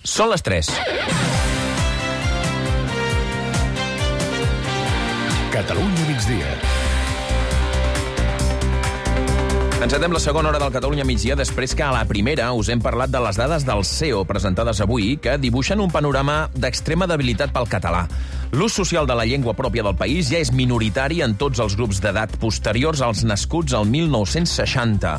Són les 3. Catalunya migdia. Encetem la segona hora del Catalunya migdia després que a la primera us hem parlat de les dades del CEO presentades avui que dibuixen un panorama d'extrema debilitat pel català. L'ús social de la llengua pròpia del país ja és minoritari en tots els grups d'edat posteriors als nascuts al 1960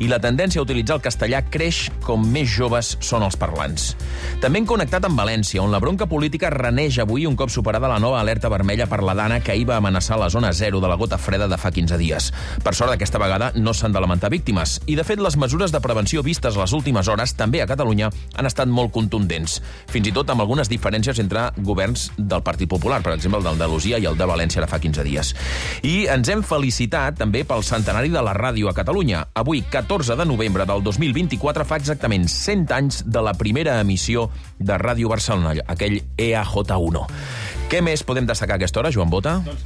i la tendència a utilitzar el castellà creix com més joves són els parlants. També hem connectat amb València, on la bronca política reneix avui un cop superada la nova alerta vermella per la Dana que ahir va amenaçar la zona zero de la gota freda de fa 15 dies. Per sort, aquesta vegada no s'han de lamentar víctimes. I, de fet, les mesures de prevenció vistes les últimes hores, també a Catalunya, han estat molt contundents. Fins i tot amb algunes diferències entre governs del Partit Popular, per exemple, el d'Andalusia i el de València de fa 15 dies. I ens hem felicitat també pel centenari de la ràdio a Catalunya. Avui, 14 de novembre del 2024, fa exactament 100 anys de la primera emissió de Ràdio Barcelona, aquell EAJ1. Què més podem destacar a aquesta hora, Joan Bota? Doncs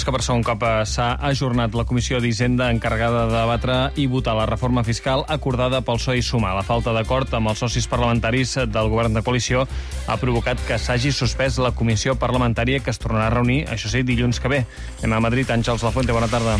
que per segon cop s'ha ajornat la Comissió d'Hisenda encarregada de debatre i votar la reforma fiscal acordada pel PSOE i Sumar. La falta d'acord amb els socis parlamentaris del govern de coalició ha provocat que s'hagi suspès la comissió parlamentària que es tornarà a reunir, això sí, dilluns que ve. Anem a Madrid. Àngels Lafuente, bona tarda.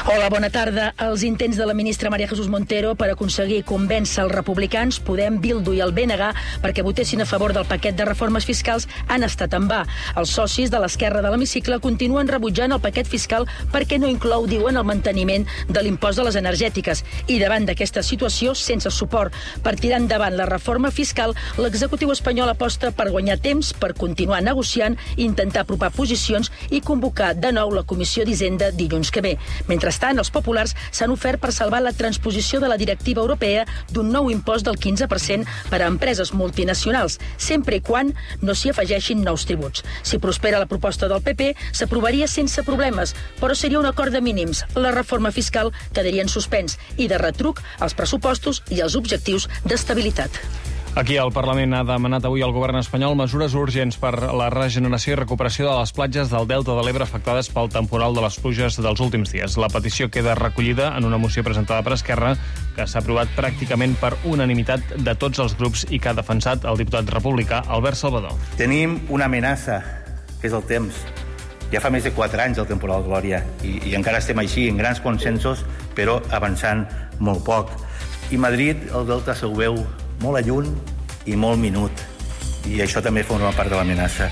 Hola, bona tarda. Els intents de la ministra María Jesús Montero per aconseguir convèncer els republicans, Podem, Bildu i el BNG perquè votessin a favor del paquet de reformes fiscals han estat en va. Els socis de l'esquerra de l'hemicicle continuen rebutjant el paquet fiscal perquè no inclou, diuen, el manteniment de l'impost de les energètiques. I davant d'aquesta situació, sense suport per tirar endavant la reforma fiscal, l'executiu espanyol aposta per guanyar temps, per continuar negociant, intentar apropar posicions i convocar de nou la Comissió d'Hisenda dilluns que ve. Mentrestant, els populars s'han ofert per salvar la transposició de la directiva europea d'un nou impost del 15% per a empreses multinacionals, sempre i quan no s'hi afegeixin nous tributs. Si prospera la proposta del PP, s'aprovaria sense problemes, però seria un acord de mínims. La reforma fiscal quedaria en suspens i de retruc els pressupostos i els objectius d'estabilitat. Aquí el Parlament ha demanat avui al govern espanyol mesures urgents per la regeneració i recuperació de les platges del Delta de l'Ebre afectades pel temporal de les pluges dels últims dies. La petició queda recollida en una moció presentada per Esquerra que s'ha aprovat pràcticament per unanimitat de tots els grups i que ha defensat el diputat republicà Albert Salvador. Tenim una amenaça, que és el temps. Ja fa més de 4 anys el temporal Glòria i encara estem així, en grans consensos, però avançant molt poc. I Madrid, el Delta, se'l veu molt a lluny i molt minut. I això també forma part de l'amenaça.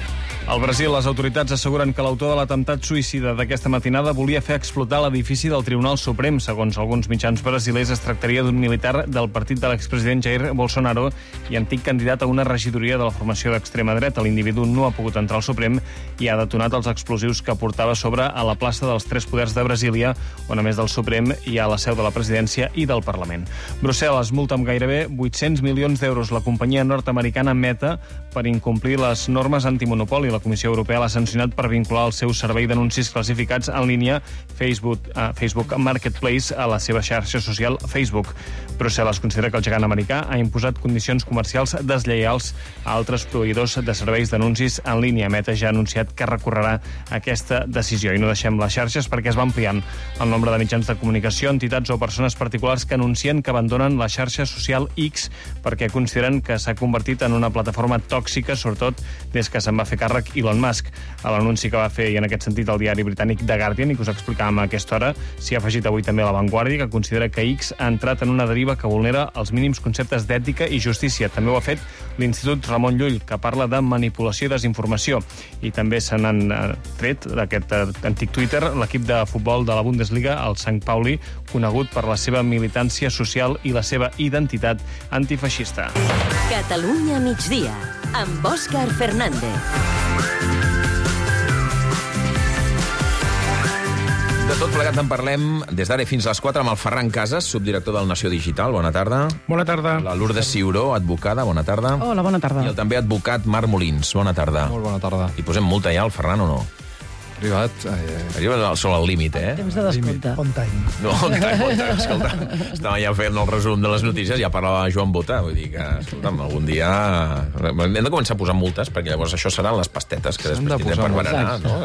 Al Brasil, les autoritats asseguren que l'autor de l'atemptat suïcida d'aquesta matinada volia fer explotar l'edifici del Tribunal Suprem. Segons alguns mitjans brasilers, es tractaria d'un militar del partit de l'expresident Jair Bolsonaro i antic candidat a una regidoria de la formació d'extrema dreta. L'individu no ha pogut entrar al Suprem i ha detonat els explosius que portava a sobre a la plaça dels Tres Poders de Brasília, on a més del Suprem hi ha la seu de la presidència i del Parlament. Brussel·les multa amb gairebé 800 milions d'euros la companyia nord-americana Meta per incomplir les normes antimonopoli. La Comissió Europea l'ha sancionat per vincular el seu servei d'anuncis classificats en línia Facebook Marketplace a la seva xarxa social Facebook. Brussel·les considera que el gegant americà ha imposat condicions comercials deslleials a altres proveïdors de serveis d'anuncis en línia. Meta ja ha anunciat que recorrerà aquesta decisió. I no deixem les xarxes perquè es va ampliant el nombre de mitjans de comunicació, entitats o persones particulars que anuncien que abandonen la xarxa social X perquè consideren que s'ha convertit en una plataforma tòxica, sobretot des que se'n va fer càrrec Elon Musk. A l'anunci que va fer, i en aquest sentit, el diari britànic The Guardian, i que us explicàvem a aquesta hora, s'hi ha afegit avui també La Vanguardia, que considera que X ha entrat en una deriva que vulnera els mínims conceptes d'ètica i justícia. També ho ha fet l'Institut Ramon Llull, que parla de manipulació i desinformació. I també se n'han tret d'aquest antic Twitter l'equip de futbol de la Bundesliga, el Sant Pauli, conegut per la seva militància social i la seva identitat antifeixista. Catalunya migdia, amb Òscar Fernández. De tot plegat en parlem des d'ara fins a les 4 amb el Ferran Casas, subdirector del Nació Digital. Bona tarda. Bona tarda. La Lourdes Ciuró, advocada. Bona tarda. Hola, bona tarda. I el també advocat Marc Molins. Bona tarda. Molt bona tarda. I posem multa ja al Ferran o no? Arribat. Arriba sobre el límit, eh? Temps de descompte. On time. No, on time. Escolta, estava ja fent el resum de les notícies, ja parlava Joan Bota, vull dir que, escolta'm, algun dia hem de començar a posar multes, perquè llavors això seran les pastetes que després tindrem per berenar, no?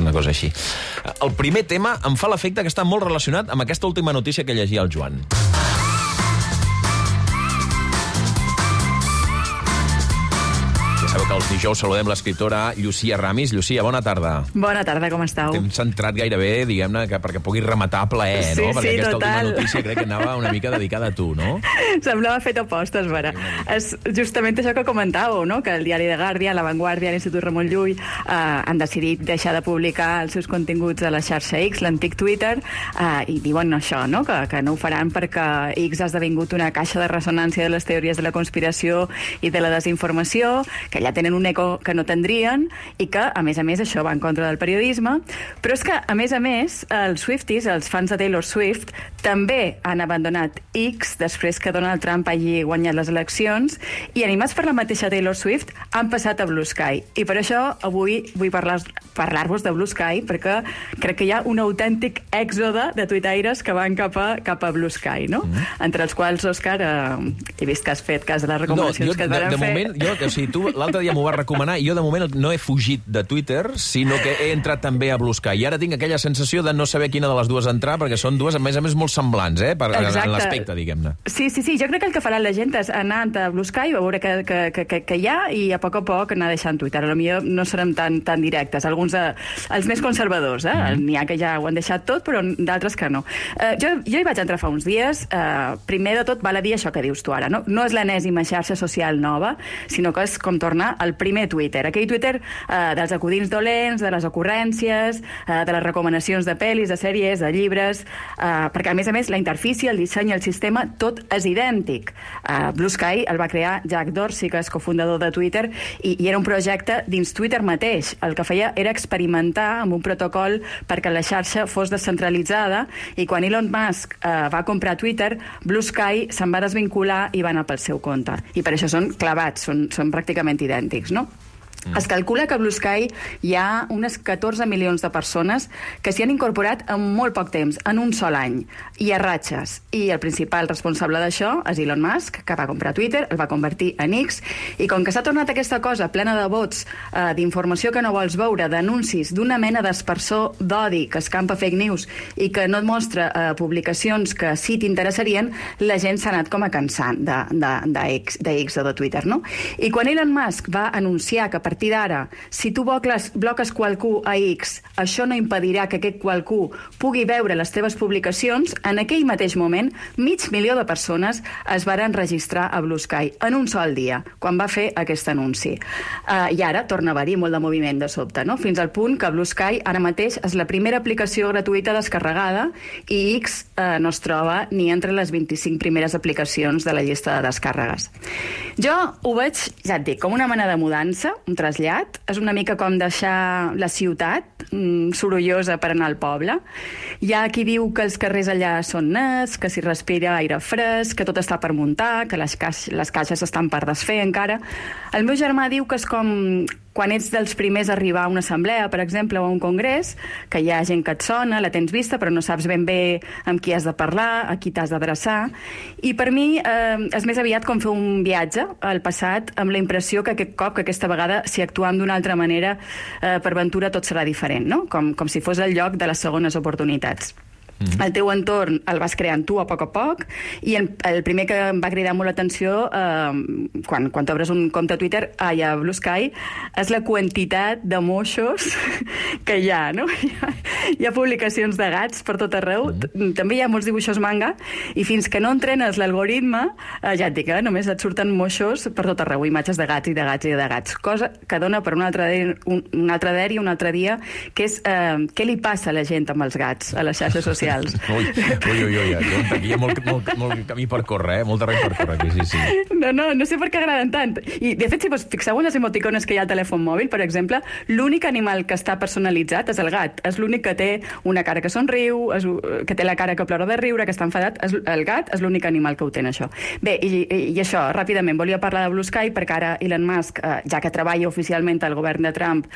Una cosa així. El primer tema em fa l'efecte que està molt relacionat amb aquesta última notícia que llegia el Joan. Allò que els dijous saludem l'escriptora Llucia Ramis. Llucia, bona tarda. Bona tarda, com esteu? T'hem centrat gairebé, diguem-ne, perquè puguis rematar a plaer, no? Perquè aquesta última notícia crec que anava una mica dedicada a tu, no? Semblava fet a postes, vera. És justament això que comentàveu, no? Que el diari The Guardian, La Vanguardia, l'Institut Ramon Llull han decidit deixar de publicar els seus continguts a la xarxa X, l'antic Twitter, i diuen això, no? Que no ho faran perquè X ha esdevingut una caixa de ressonància de les teories de la conspiració i de la desinformació, que ja tenen un eco que no tindrien i que, a més, això va en contra del periodisme. Però és que, a més, els Swifties, els fans de Taylor Swift, també han abandonat X després que Donald Trump hagi guanyat les eleccions i, animats per la mateixa Taylor Swift, han passat a Blue Sky. I per això avui vull parlar-vos de Blue Sky, perquè crec que hi ha un autèntic èxode de tuitaires que van cap a Blue Sky, no? Entre els quals, Òscar, he vist que has fet cas de les recomanacions que et van fer. Moment, tu l'altre dia m'ho vas recomanar i jo de moment no he fugit de Twitter, sinó que he entrat també a Blue Sky. I ara tinc aquella sensació de no saber quina de les dues entrar, perquè són dues, a més, molt semblants, en l'aspecte, diguem-ne. Sí, jo crec que el que farà la gent és anar a Blue Sky, veure que hi ha, i a poc hi deixant Twitter. Potser no serem tan directes. Alguns, els més conservadors, n'hi ha que ja ho han deixat tot, però d'altres que no. Jo hi vaig entrar fa uns dies. Primer de tot, val a dir això que dius tu ara. No és l'enèsima xarxa social nova, sinó que és com tornar al primer Twitter. Aquell Twitter dels acudits dolents, de les ocurrències, de les recomanacions de pel·lis, de sèries, de llibres, perquè, a més, la interfície, el disseny i el sistema, tot és idèntic. Blue Sky el va crear Jack Dorsey, que és cofundador de Twitter, i era un projecte dins Twitter mateix. El que feia era experimentar amb un protocol perquè la xarxa fos descentralitzada, i quan Elon Musk va comprar Twitter, Blue Sky se'n va desvincular i va anar pel seu compte. I per això són clavats, són pràcticament idèntics, no? Es calcula que a Blue Sky hi ha unes 14 milions de persones que s'hi han incorporat en molt poc temps, en un sol any, i a ratxes. I el principal responsable d'això és Elon Musk, que va comprar Twitter, el va convertir en X, i com que s'ha tornat aquesta cosa plena de bots, d'informació que no vols veure, d'anuncis, d'una mena d'espersor d'odi que escampa fake news i que no et mostra publicacions que sí t'interessarien, la gent s'ha anat com a cansant d'X o de Twitter, no? I quan Elon Musk va anunciar que a partir d'ara, si tu bloques qualcú a X, això no impedirà que aquest qualcú pugui veure les teves publicacions, en aquell mateix moment, 500.000 de persones es varen registrar a Blue Sky en un sol dia, quan va fer aquest anunci. I ara torna a haver-hi molt de moviment de sobte, no? Fins al punt que Blue Sky ara mateix és la primera aplicació gratuïta descarregada i X no es troba ni entre les 25 primeres aplicacions de la llista de descàrregues. Jo ho veig, ja et dic, com una mena de mudança, un trasllat. És una mica com deixar la ciutat sorollosa per anar al poble. Hi ha qui diu que els carrers allà són nets, que s'hi respira aire fresc, que tot està per muntar, que les caixes estan per desfer encara. El meu germà diu que és com quan ets dels primers a arribar a una assemblea, per exemple, o a un congrés, que hi ha gent que et sona, la tens vista, però no saps ben bé amb qui has de parlar, a qui t'has d'adreçar. I per mi és més aviat com fer un viatge al passat, amb la impressió que aquest cop, que aquesta vegada, si actuam d'una altra manera, per ventura tot serà diferent, no? Com si fos el lloc de les segones oportunitats. El teu entorn el vas creant tu a poc, i el primer que em va cridar molt l'atenció quan t'obres un compte a Twitter, a Blue Sky, és la quantitat de moixos que hi ha, no? Hi ha publicacions de gats per tot arreu, també hi ha molts dibuixos manga, i fins que no entrenes l'algoritme, ja et dic, només et surten moixos per tot arreu, imatges de gats i de gats i de gats, cosa que dona per un altre dia, que és què li passa a la gent amb els gats a les xarxes socials. Ui, aquí hi ha molt camí per córrer, molt terreny per córrer aquí, sí. No sé per què agraden tant. I, de fet, si us fixeu en les emoticones que hi ha al telèfon mòbil, per exemple, l'únic animal que està personalitzat és el gat. És l'únic que té una cara que somriu, que té la cara que plora de riure, que està enfadat. El gat és l'únic animal que ho té, això. Bé, i això, ràpidament, volia parlar de Blue Sky, perquè ara Elon Musk, ja que treballa oficialment al govern de Trump,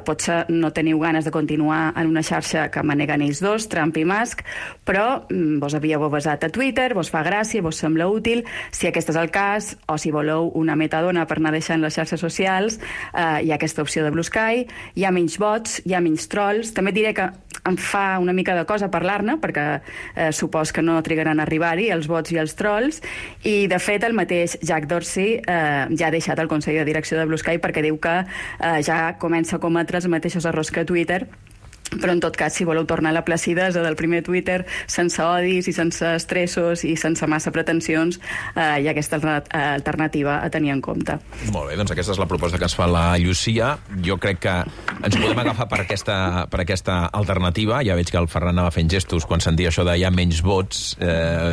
potser no teniu ganes de continuar en una xarxa que maneguen ells dos, Trump i Musk, però vos havíeu basat a Twitter, vos fa gràcia, vos sembla útil. Si aquest és el cas, o si voleu una metadona per anar deixant les xarxes socials, hi ha aquesta opció de Blue Sky, hi ha menys bots, hi ha menys trolls. També et diré que em fa una mica de cosa parlar-ne, perquè supos que no trigaran a arribar-hi els bots i els trolls, i de fet el mateix Jack Dorsey ja ha deixat el Consell de Direcció de Blue Sky perquè diu que ja comença a cometre els mateixos errors que Twitter, però en tot cas, si voleu tornar a la placidesa del primer Twitter, sense odis i sense estressos i sense massa pretensions, hi ha aquesta alternativa a tenir en compte. Molt bé, doncs aquesta és la proposta que ens fa la Llucia. Jo crec que ens podem agafar per aquesta alternativa. Ja veig que el Ferran anava fent gestos quan sentia això de hi ha menys vots,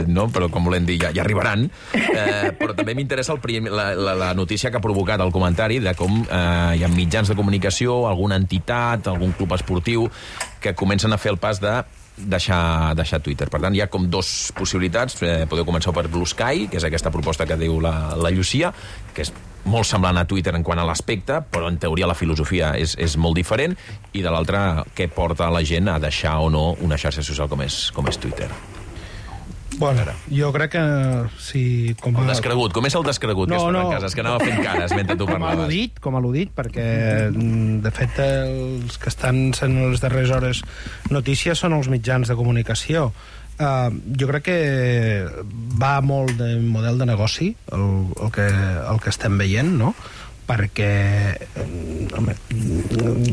no? Però com volem dir, ja arribaran. Però també m'interessa la notícia que ha provocat el comentari de com hi ha mitjans de comunicació, alguna entitat, algun club esportiu que comencen a fer el pas de deixar Twitter. Per tant, hi ha com dos possibilitats. Podeu començar per Blue Sky, que és aquesta proposta que diu la Llucia, que és molt semblant a Twitter en quant a l'aspecte, però en teoria la filosofia és molt diferent, i de l'altra, què porta la gent a deixar o no una xarxa social com és Twitter. Bueno, jo crec que si... El descregut, com és el descregut que es fa en casa? És que anava fent cares mentre tu parlaves. Com a al·ludit, perquè de fet els que estan sent les darreres hores notícies són els mitjans de comunicació. Jo crec que va molt de model de negoci el que estem veient, no? Perquè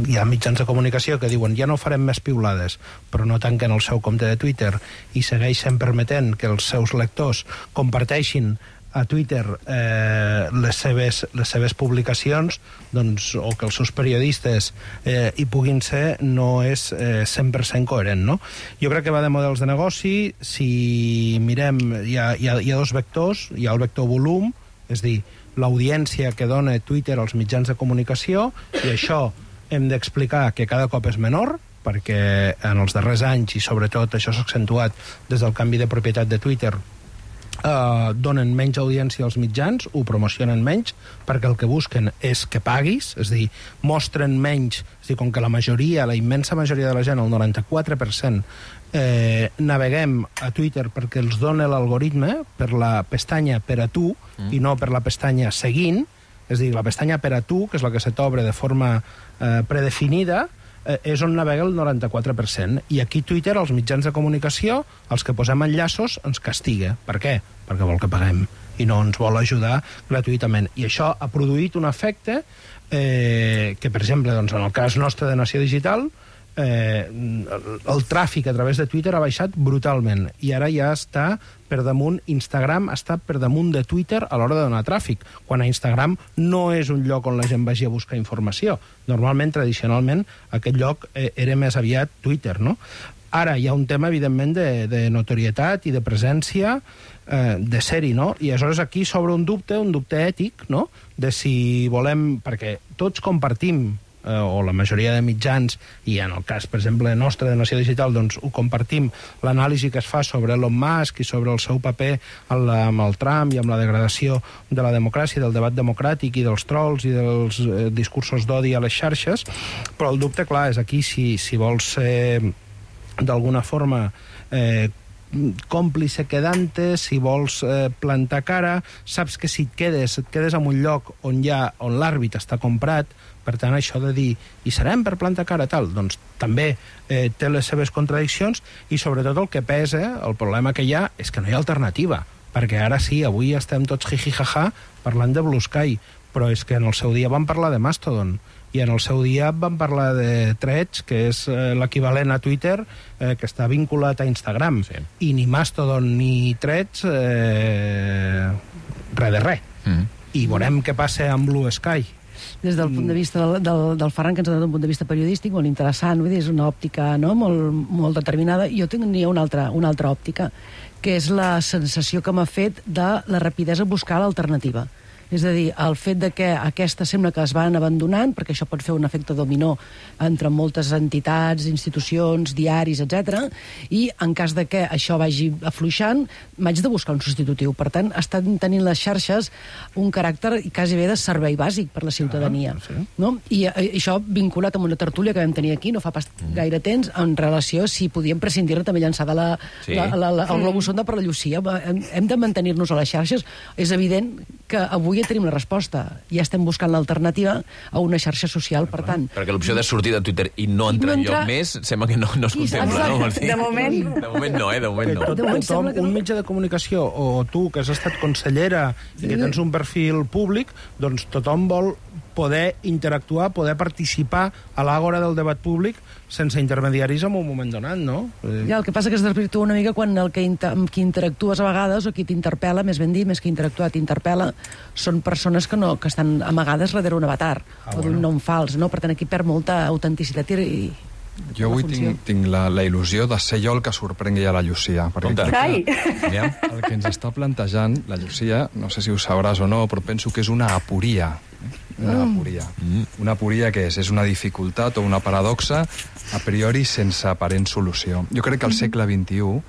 hi ha mitjans de comunicació que diuen ja no farem més piulades, però no tanquen el seu compte de Twitter i segueixen permetent que els seus lectors comparteixin a Twitter les seves publicacions, doncs, o que els seus periodistes hi puguin ser, no és 100% coherent, no? Jo crec que va de models de negoci. Si mirem, hi ha dos vectors. Hi ha el vector volum, és dir, l'audiència que dona Twitter als mitjans de comunicació, i això hem d'explicar que cada cop és menor, perquè en els darrers anys, i sobretot això s'ha accentuat des del canvi de propietat de Twitter, donen menys audiència als mitjans, ho promocionen menys, perquè el que busquen és que paguis, és a dir, mostren menys, és a dir, com que la immensa majoria de la gent, el 94%, naveguem a Twitter perquè els dona l'algoritme per la pestanya per a tu i no per la pestanya seguint, és a dir, la pestanya per a tu, que és la que se t'obre de forma predefinida, és on navega el 94%. I aquí Twitter, els mitjans de comunicació, els que posem enllaços, ens castiga. Per què? Perquè vol que paguem i no ens vol ajudar gratuïtament. I això ha produït un efecte que, per exemple, doncs, en el cas nostre de Nació Digital, el tràfic a través de Twitter ha baixat brutalment i ara ja està per damunt. Instagram està per damunt de Twitter a l'hora de donar tràfic, quan a Instagram no és un lloc on la gent vagi a buscar informació. Normalment, tradicionalment, aquest lloc era més aviat Twitter, no? Ara hi ha un tema, evidentment, de notorietat i de presència, de ser-hi, no? I aleshores aquí s'obre un dubte ètic, no?, de si volem... Perquè tots compartim, o la majoria de mitjans, i en el cas, per exemple, nostre de Nació Digital, doncs ho compartim, l'anàlisi que es fa sobre Elon Musk i sobre el seu paper amb el Trump i amb la degradació de la democràcia, del debat democràtic i dels trolls i dels discursos d'odi a les xarxes, però el dubte, clar, és aquí si vols ser d'alguna forma còmplice quedante, si vols plantar cara, saps que si et quedes en un lloc on l'àrbit està comprat. Per tant, això de dir, i serem per plantar cara tal, doncs també té les seves contradiccions, i sobretot el que pesa, el problema que hi ha, és que no hi ha alternativa, perquè ara sí, avui estem tots jiji-jaja parlant de Blue Sky, però és que en el seu dia vam parlar de Mastodon, i en el seu dia vam parlar de Threads, que és l'equivalent a Twitter, que està vinculat a Instagram, sí. I ni Mastodon ni Threads, res de res. I veurem què passa amb Blue Sky. Des del punt de vista del Ferran, que ens ha donat un punt de vista periodístic molt interessant, vull dir, és una òptica, no?, molt determinada. Jo tenia una altra òptica, que és la sensació que m'ha fet de la rapidesa a buscar l'alternativa. És a dir, el fet de que aquesta sembla que es van abandonant, perquè això pot fer un efecte dominó entre moltes entitats, institucions, diaris, etc. I en cas de que això vagi afluixant, m'haig de buscar un substitutiu. Per tant, estan tenint les xarxes un caràcter quasi bé de servei bàsic per la ciutadania. Sí. No? I això vinculat amb una tertúlia que vam tenir aquí, no fa pas gaire temps, en relació si podíem prescindir-ne també llançada el globus sonda per la Llucia. Hem de mantenir-nos a les xarxes. És evident que avui ja tenim la resposta. Ja estem buscant l'alternativa a una xarxa social, per tant... Perquè l'opció de sortir de Twitter i no entrar enlloc més sembla que no es contempla, no, Martí? De moment... De moment no, de moment no. Tothom, un mitjà de comunicació, o tu, que has estat consellera i que tens un perfil públic, doncs tothom vol poder interactuar, poder participar a l'àgora del debat públic sense intermediaris en un moment donat, no? Ja, el que passa que es desvirtua una mica quan el que amb qui interactues a vegades, o qui t'interpel·la, més ben dit, més que interactuar, t'interpel·la, són persones que estan amagades darrere un avatar, o d'un nom fals, no? Per tant, aquí perd molta autenticitat i jo avui tinc la il·lusió de ser jo el que sorprengui a la Llucia. Perquè el que ens està plantejant la Llucia, no sé si ho sabràs o no, però penso que és una aporia. Una aporia. Una aporia què és? És una dificultat o una paradoxa a priori sense aparent solució. Jo crec que el segle XXI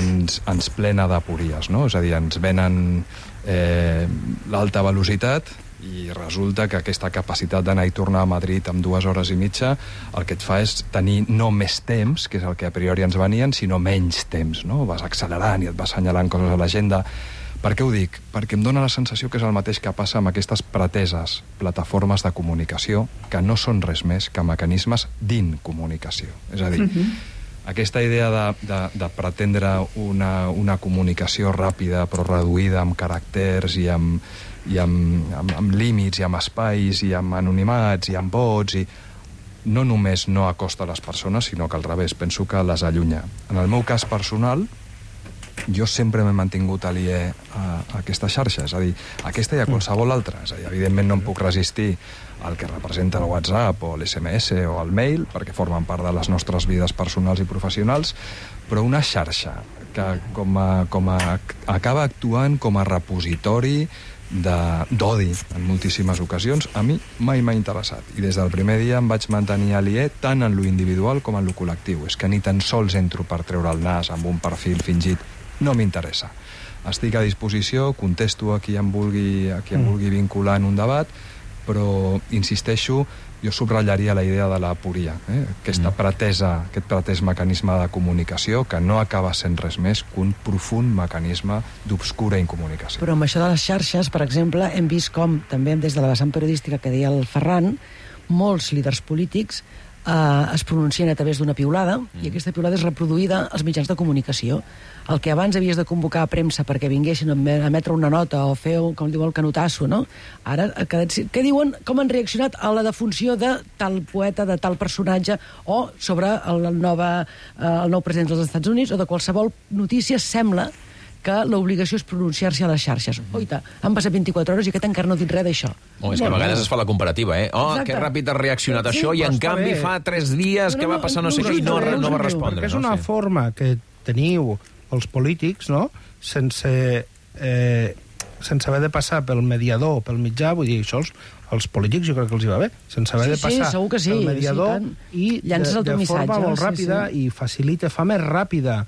ens plena d'apories, no? És a dir, ens venen l'alta velocitat i resulta que aquesta capacitat d'anar i tornar a Madrid en 2 hores i mitja el que et fa és tenir no més temps, que és el que a priori ens venien, sinó menys temps, no? Vas accelerant i et vas assenyalant coses a l'agenda. Per què ho dic? Perquè em dóna la sensació que és el mateix que passa amb aquestes preteses plataformes de comunicació que no són res més que mecanismes d'incomunicació. És a dir, aquesta idea de pretendre una comunicació ràpida però reduïda amb caràcters i amb límits i amb espais i amb anonimats i amb vots no només no acosta les persones, sinó que al revés, penso que les allunya. En el meu cas personal, jo sempre m'he mantingut aliè a aquesta xarxa, és a dir, aquesta i a qualsevol altra. És a dir, evidentment no em puc resistir al que representa el WhatsApp o l'SMS o el mail, perquè formen part de les nostres vides personals i professionals, però una xarxa que acaba actuant com a repositori d'odi en moltíssimes ocasions, a mi mai m'ha interessat. I des del primer dia em vaig mantenir aliè tant en lo individual com en lo col·lectiu. És que ni tan sols entro per treure el nas amb un perfil fingit. No m'interessa. Estic a disposició, contesto a qui em vulgui vincular en un debat, però, insisteixo, jo subratllaria la idea de l'aporia, aquest pretès mecanisme de comunicació que no acaba sent res més que un profund mecanisme d'obscura incomunicació. Però amb això de les xarxes, per exemple, hem vist com, també des de la vessant periodística que deia el Ferran, molts líders polítics es pronuncien a través d'una piulada i aquesta piulada és reproduïda als mitjans de comunicació. El que abans havies de convocar a premsa perquè vinguessin a emetre una nota o fer, com diu, el canotasso, no? Ara, què diuen, com han reaccionat a la defunció de tal poeta, de tal personatge, o sobre el nou president dels Estats Units, o de qualsevol notícia, sembla que l'obligació és pronunciar-se a les xarxes. Oita, han passat 24 hores i aquest encara no ha dit res d'això. És que a vegades es fa la comparativa, que ràpid ha reaccionat això i en canvi fa 3 dies que va passar no sé què i no va respondre. Perquè és una forma que teniu els polítics, no?, sense haver de passar pel mediador o pel mitjà, vull dir, això els polítics jo crec que els hi va bé, sense haver de passar pel mediador i de forma molt ràpida i fa més ràpida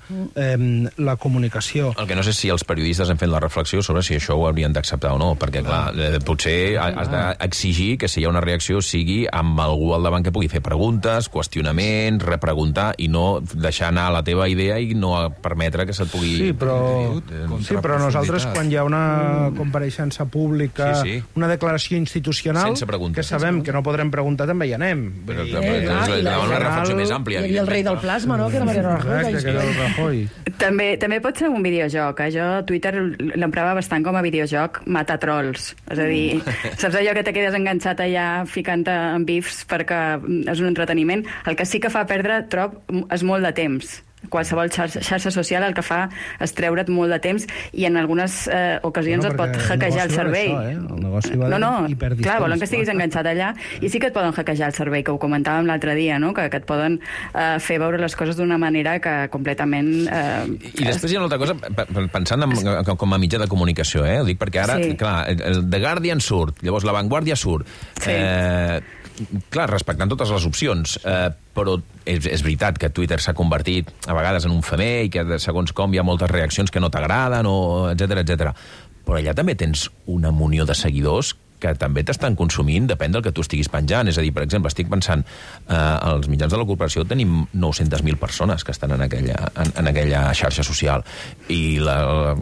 la comunicació. El que no sé si els periodistes han fet la reflexió sobre si això ho haurien d'acceptar o no, perquè clar, potser has d'exigir que si hi ha una reacció sigui amb algú al davant que pugui fer preguntes, qüestionaments, repreguntar i no deixar anar la teva idea i no permetre que se't pugui... Sí, però nosaltres quan hi ha una compareixença pública, una declaració institucional que sabem que no podrem preguntar, també hi anem. Però una reflexió més àmplia. Hi havia el rei del plasma, no?, que era Mariano Rajoy. També pot ser un videojoc. Jo Twitter l'emprava bastant com a videojoc matar trolls. És a dir, saps allò que te quedes enganxat allà ficant-te en bifs perquè és un entreteniment? El que sí que fa perdre, trob, és molt de temps. Qualsevol xarxa social el que fa és treure't molt de temps i en algunes ocasions et pot hackejar el cervell. El negoci va d'hiperdistància. Clar, volen que estiguis enganxat allà i sí que et poden hackejar el cervell, que ho comentàvem l'altre dia, no?, que et poden fer veure les coses d'una manera que completament... I després hi ha una altra cosa, pensant com a mitjà de comunicació, ho dic perquè ara, clar, el The Guardian surt, llavors La Vanguardia surt, clar, respectant totes les opcions, però és veritat que Twitter s'ha convertit a vegades en un femer i que segons com hi ha moltes reaccions que no t'agraden, etc. Però allà també tens una munió de seguidors que també t'estan consumint, depèn del que tu estiguis penjant. És a dir, per exemple, estic pensant, als mitjans de la corporació tenim 900.000 persones que estan en aquella xarxa social, i la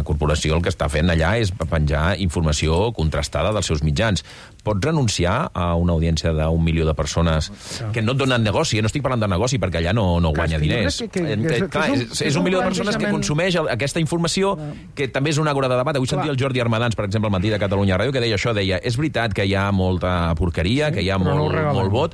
corporació el que està fent allà és penjar informació contrastada dels seus mitjans. Pots renunciar a una audiència d'1 milió de persones que no et donen negoci? No estic parlant de negoci perquè allà no guanya diners. És 1 milió de persones que consumeix aquesta informació, que també és una àgora de debat. Avui sentia el Jordi Armadans, per exemple, al Matí de Catalunya Ràdio, que deia això, deia, és veritat que hi ha molta porqueria, que hi ha molt vot,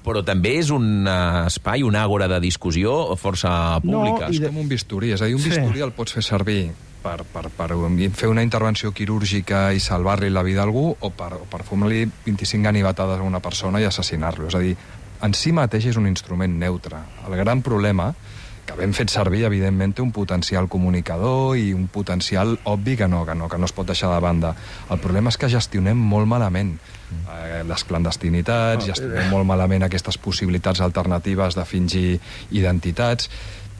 però també és un espai, una àgora de discussió força pública. És com un bisturí, és a dir, un bisturí el pots fer servir per fer una intervenció quirúrgica i salvar-li la vida a algú, o per fumar-li 25 ganivetades a una persona i assassinar-lo. És a dir, en si mateix és un instrument neutre. El gran problema, que ben fet servir, evidentment, té un potencial comunicador i un potencial obvi que no es pot deixar de banda. El problema és que gestionem molt malament les clandestinitats, gestionem molt malament aquestes possibilitats alternatives de fingir identitats,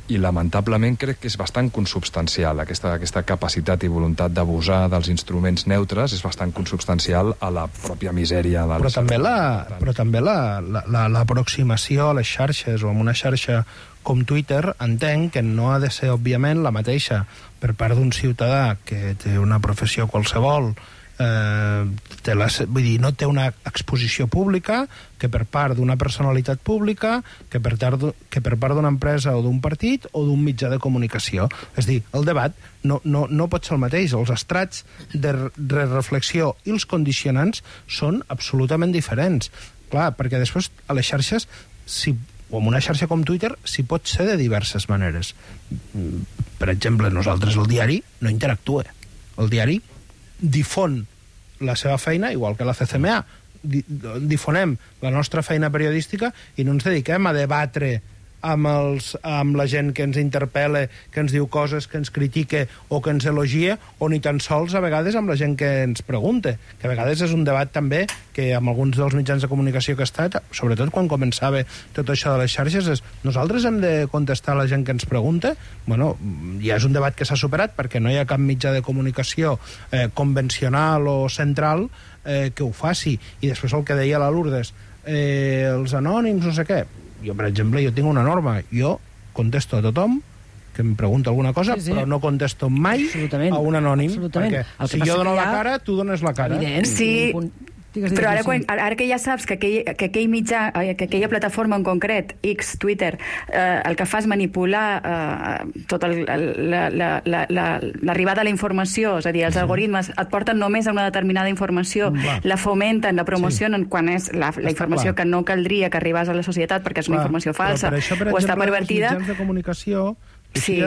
i lamentablement crec que és bastant consubstancial aquesta capacitat i voluntat d'abusar dels instruments neutres, és bastant consubstancial a la pròpia misèria del... Però també l'aproximació a les xarxes o a una xarxa com Twitter, entenc que no ha de ser, òbviament, la mateixa per part d'un ciutadà que té una professió qualsevol, vull dir, no té una exposició pública, que per part d'una personalitat pública, que per part d'una empresa o d'un partit o d'un mitjà de comunicació. És a dir, el debat no pot ser el mateix. Els estrats de reflexió i els condicionants són absolutament diferents. Clar, perquè després a les xarxes, o en una xarxa com Twitter, s'hi pot ser de diverses maneres. Per exemple, nosaltres, el diari, no interactua. El diari difon la seva feina, igual que la CCMA. Difonem la nostra feina periodística i no ens dediquem a debatre amb la gent que ens interpel·la, que ens diu coses, que ens critica o que ens elogia, o ni tan sols a vegades amb la gent que ens pregunta, que a vegades és un debat també que amb alguns dels mitjans de comunicació que ha estat, sobretot quan començava tot això de les xarxes, és nosaltres hem de contestar a la gent que ens pregunta. Bueno, ja és un debat que s'ha superat perquè no hi ha cap mitjà de comunicació convencional o central que ho faci. I després el que deia la Lourdes, els anònims, no sé què. Jo, per exemple, tinc una norma. Jo contesto a tothom que em pregunta alguna cosa, però no contesto mai a un anònim. Perquè si jo dono la cara, tu dones la cara. Evident. Sí, però ara que ja saps que aquell mitjà, que aquella plataforma en concret, X, Twitter, el que fa és manipular tota l'arribada a la informació, és a dir, els algoritmes et porten només a una determinada informació, la fomenten, la promocionen quan és la informació que no caldria que arribés a la societat perquè és una informació falsa o està pervertida. Els mitjans de comunicació,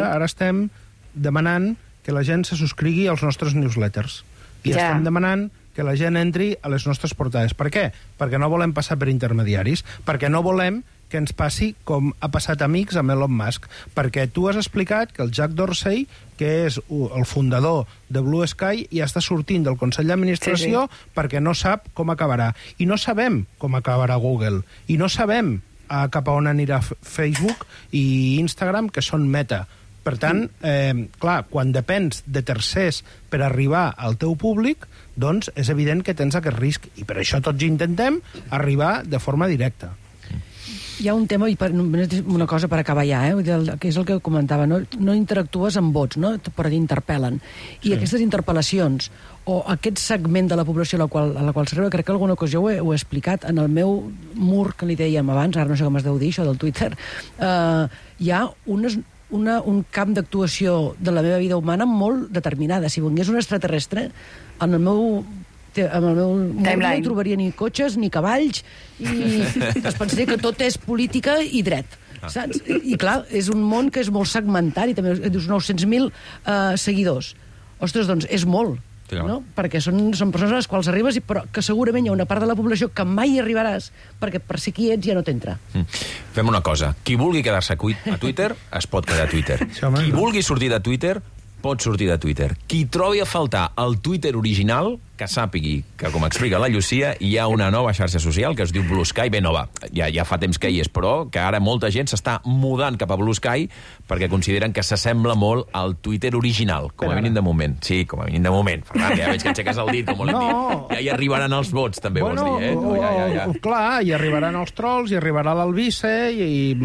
ara estem demanant que la gent se subscrigui als nostres newsletters. I estem demanant que la gent entri a les nostres portades. Per què? Perquè no volem passar per intermediaris, perquè no volem que ens passi com ha passat a Amics amb Elon Musk, perquè tu has explicat que el Jack Dorsey, que és el fundador de Blue Sky, ja està sortint del Consell d'Administració perquè no sap com acabarà. I no sabem com acabarà Google. I no sabem cap a on anirà Facebook i Instagram, que són Meta. Per tant, clar, quan depens de tercers per arribar al teu públic, doncs és evident que tens aquest risc. I per això tots intentem arribar de forma directa. Hi ha un tema, i una cosa per acabar ja, que és el que comentava, no interactues amb vots, no? Però t'interpel·len. I aquestes interpel·lacions, o aquest segment de la població a la qual s'arriba, crec que alguna ocasió ho he explicat, en el meu mur, que li dèiem abans, ara no sé com es deu dir, això del Twitter, hi ha un camp d'actuació de la meva vida humana molt determinada. Si vingués un extraterrestre, en el meu no hi trobaria ni cotxes, ni cavalls, i es pensaria que tot és política i dret. Saps? I clar, és un món que és molt segmentari, també dius 900.000 seguidors. Ostres, doncs és molt. No? Perquè són persones a les quals arribes, però que segurament hi ha una part de la població que mai hi arribaràs, perquè per ser qui ets ja no t'entra. Fem una cosa. Qui vulgui quedar-se a Twitter, es pot quedar a Twitter. Qui vulgui sortir de Twitter, pot sortir de Twitter. Qui trobi a faltar el Twitter original, que sàpigui que, com explica la Llucia, hi ha una nova xarxa social que es diu Blue Sky, ben nova, ja fa temps que hi és, però que ara molta gent s'està mudant cap a Blue Sky perquè consideren que s'assembla molt al Twitter original, com a mínim de moment. Sí, com a mínim de moment. Ferran, ja veig que aixeques el dit, com volem dir. Ja hi arribaran els vots, també, vols dir, eh? No, clar, hi arribaran els trolls, hi arribarà l'Albisse, i...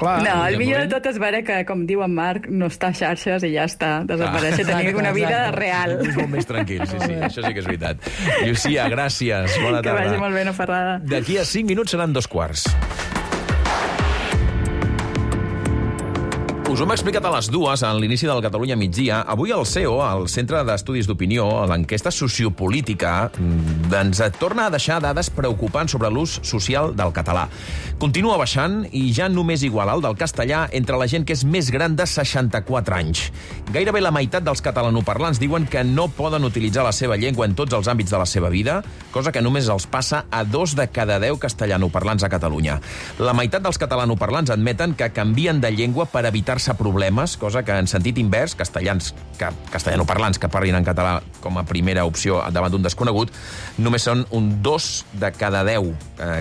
clar. No, el millor de tot és veure que, com diu en Marc, no està a xarxes i ja està, desapareix, tenir una vida real. És molt més tranquil, sí, això sí que és veritat. Llucia, gràcies, bona tarda. Que vagi molt bé, no fa res. D'aquí a 5 minuts seran 2:15. Us ho hem explicat a les 2 en l'inici del Catalunya migdia. Avui el CEO, el Centre d'Estudis d'Opinió, l'enquesta sociopolítica, ens torna a deixar dades preocupants sobre l'ús social del català. Continua baixant i ja només iguala el del castellà entre la gent que és més gran de 64 anys. Gairebé la meitat dels catalanoparlants diuen que no poden utilitzar la seva llengua en tots els àmbits de la seva vida, cosa que només els passa a 2 de cada 10 castellanoparlants a Catalunya. La meitat dels catalanoparlants admeten que canvien de llengua per evitar problemes, cosa que en sentit invers, castellanoparlants que parlin en català com a primera opció davant d'un desconegut, només són un 2 de cada 10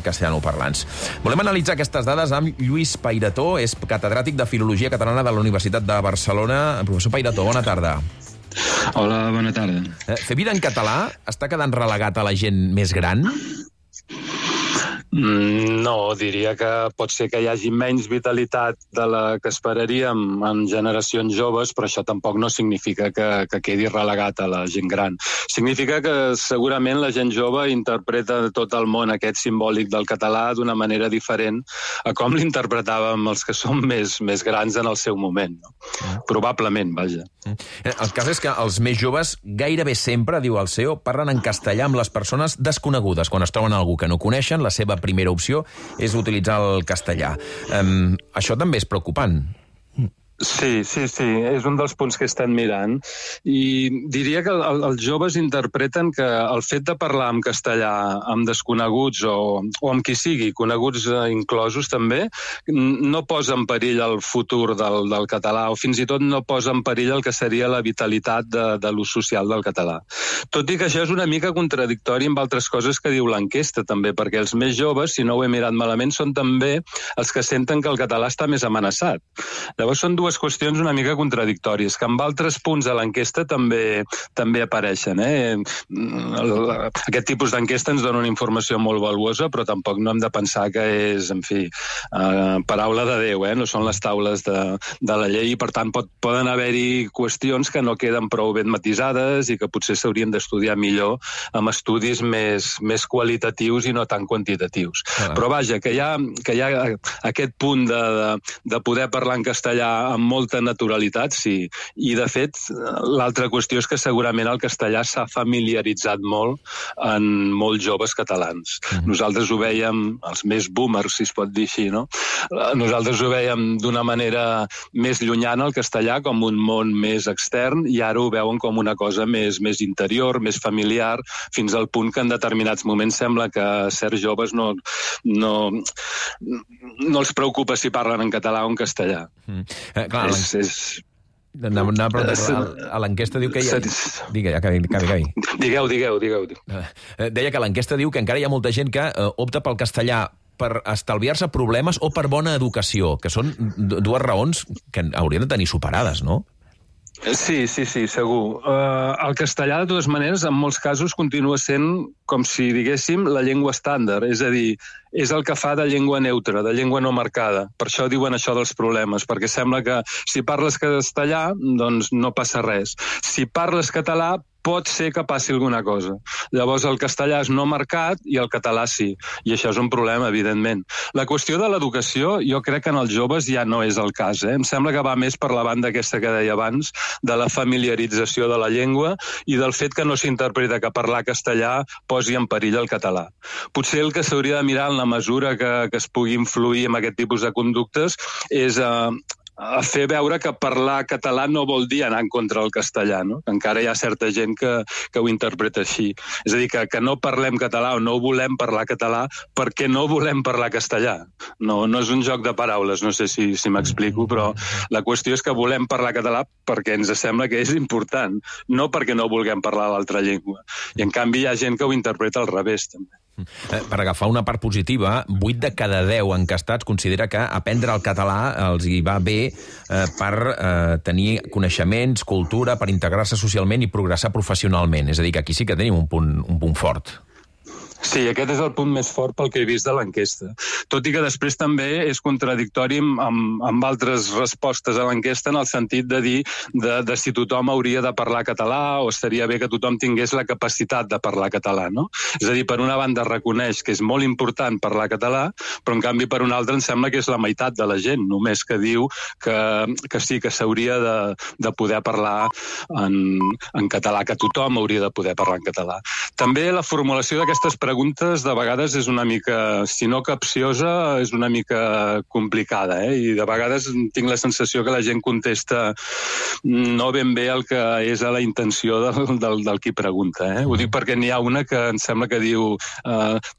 castellanoparlants. Volem analitzar aquestes dades amb Lluís Pairató, és catedràtic de Filologia Catalana de la Universitat de Barcelona. Professor Pairató, bona tarda. Hola, bona tarda. Fer vida en català està quedant relegat a la gent més gran? No, diria que pot ser que hi hagi menys vitalitat de la que esperaríem en generacions joves, però això tampoc no significa que quedi relegat a la gent gran. Significa que segurament la gent jove interpreta tot el món aquest simbòlic del català d'una manera diferent a com l'interpretàvem els que som més grans en el seu moment. No? Probablement, vaja. El cas és que els més joves gairebé sempre, diu el CEO, parlen en castellà amb les persones desconegudes. Quan es troben algú que no coneixen, la seva primera opció és utilitzar el castellà. Això també és preocupant. Sí, és un dels punts que estan mirant i diria que els joves interpreten que el fet de parlar en castellà amb desconeguts o amb qui sigui, coneguts inclosos també, no posa en perill el futur del català o fins i tot no posa en perill el que seria la vitalitat de l'ús social del català. Tot i que això és una mica contradictori amb altres coses que diu l'enquesta també, perquè els més joves, si no ho he mirat malament, són també els que senten que el català està més amenaçat. Llavors són dues qüestions una mica contradictòries, que amb altres punts de l'enquesta també apareixen. Aquest tipus d'enquesta ens dona una informació molt valuosa, però tampoc no hem de pensar que és, en fi, paraula de Déu, no són les taules de la llei i, per tant, poden haver-hi qüestions que no queden prou ben matisades i que potser s'haurien d'estudiar millor amb estudis més qualitatius i no tan quantitatius. Però vaja, que hi ha aquest punt de poder parlar en castellà amb molta naturalitat, sí. I, de fet, l'altra qüestió és que segurament el castellà s'ha familiaritzat molt en molts joves catalans. Nosaltres ho veiem, els més boomers, si es pot dir així, no? Nosaltres ho veiem d'una manera més llunyana, el castellà, com un món més extern, i ara ho veuen com una cosa més interior, més familiar, fins al punt que en determinats moments sembla que certs joves no els preocupa si parlen en català o en castellà. Clar, a l'enquesta diu que hi ha... Acabi. Digueu. Deia que l'enquesta diu que encara hi ha molta gent que opta pel castellà per estalviar-se problemes o per bona educació, que són dues raons que haurien de tenir superades, no? Sí, segur. El castellà, de totes maneres, en molts casos continua sent, com si diguéssim, la llengua estàndard. És a dir, és el que fa de llengua neutra, de llengua no marcada. Per això diuen això dels problemes, perquè sembla que si parles castellà, doncs no passa res. Si parles català, pot ser que passi alguna cosa. Llavors el castellà és no marcat i el català sí. I això és un problema, evidentment. La qüestió de l'educació, jo crec que en els joves ja no és el cas. Em sembla que va més per la banda aquesta que deia abans, de la familiarització de la llengua i del fet que no s'interpreta que parlar castellà posi en perill el català. Potser el que s'hauria de mirar en la mesura que es pugui influir en aquest tipus de conductes és fer veure que parlar català no vol dir anar en contra del castellà, no? Encara hi ha certa gent que ho interpreta així. És a dir, que no parlem català o no volem parlar català perquè no volem parlar castellà. No és un joc de paraules, no sé si m'explico, però la qüestió és que volem parlar català perquè ens sembla que és important, no perquè no vulguem parlar l'altra llengua. I en canvi hi ha gent que ho interpreta al revés, també. Per agafar una part positiva, 8 de cada 10 encastats considera que aprendre el català els hi va bé per tenir coneixements, cultura, per integrar-se socialment i progressar professionalment. És a dir, que aquí sí que tenim un punt fort. Sí, aquest és el punt més fort pel que he vist de l'enquesta. Tot i que després també és contradictori amb altres respostes a l'enquesta en el sentit de dir de si tothom hauria de parlar català o estaria bé que tothom tingués la capacitat de parlar català, no? És a dir, per una banda reconeix que és molt important parlar català, però en canvi per una altra em sembla que és la meitat de la gent, només que diu que sí, que s'hauria de poder parlar en català, que tothom hauria de poder parlar en català. També la formulació d'aquestes preguntes de vegades és una mica, si no capciosa, és una mica complicada, i de vegades tinc la sensació que la gent contesta no ben bé el que és a la intenció del qui pregunta. Ho dic perquè n'hi ha una que em sembla que diu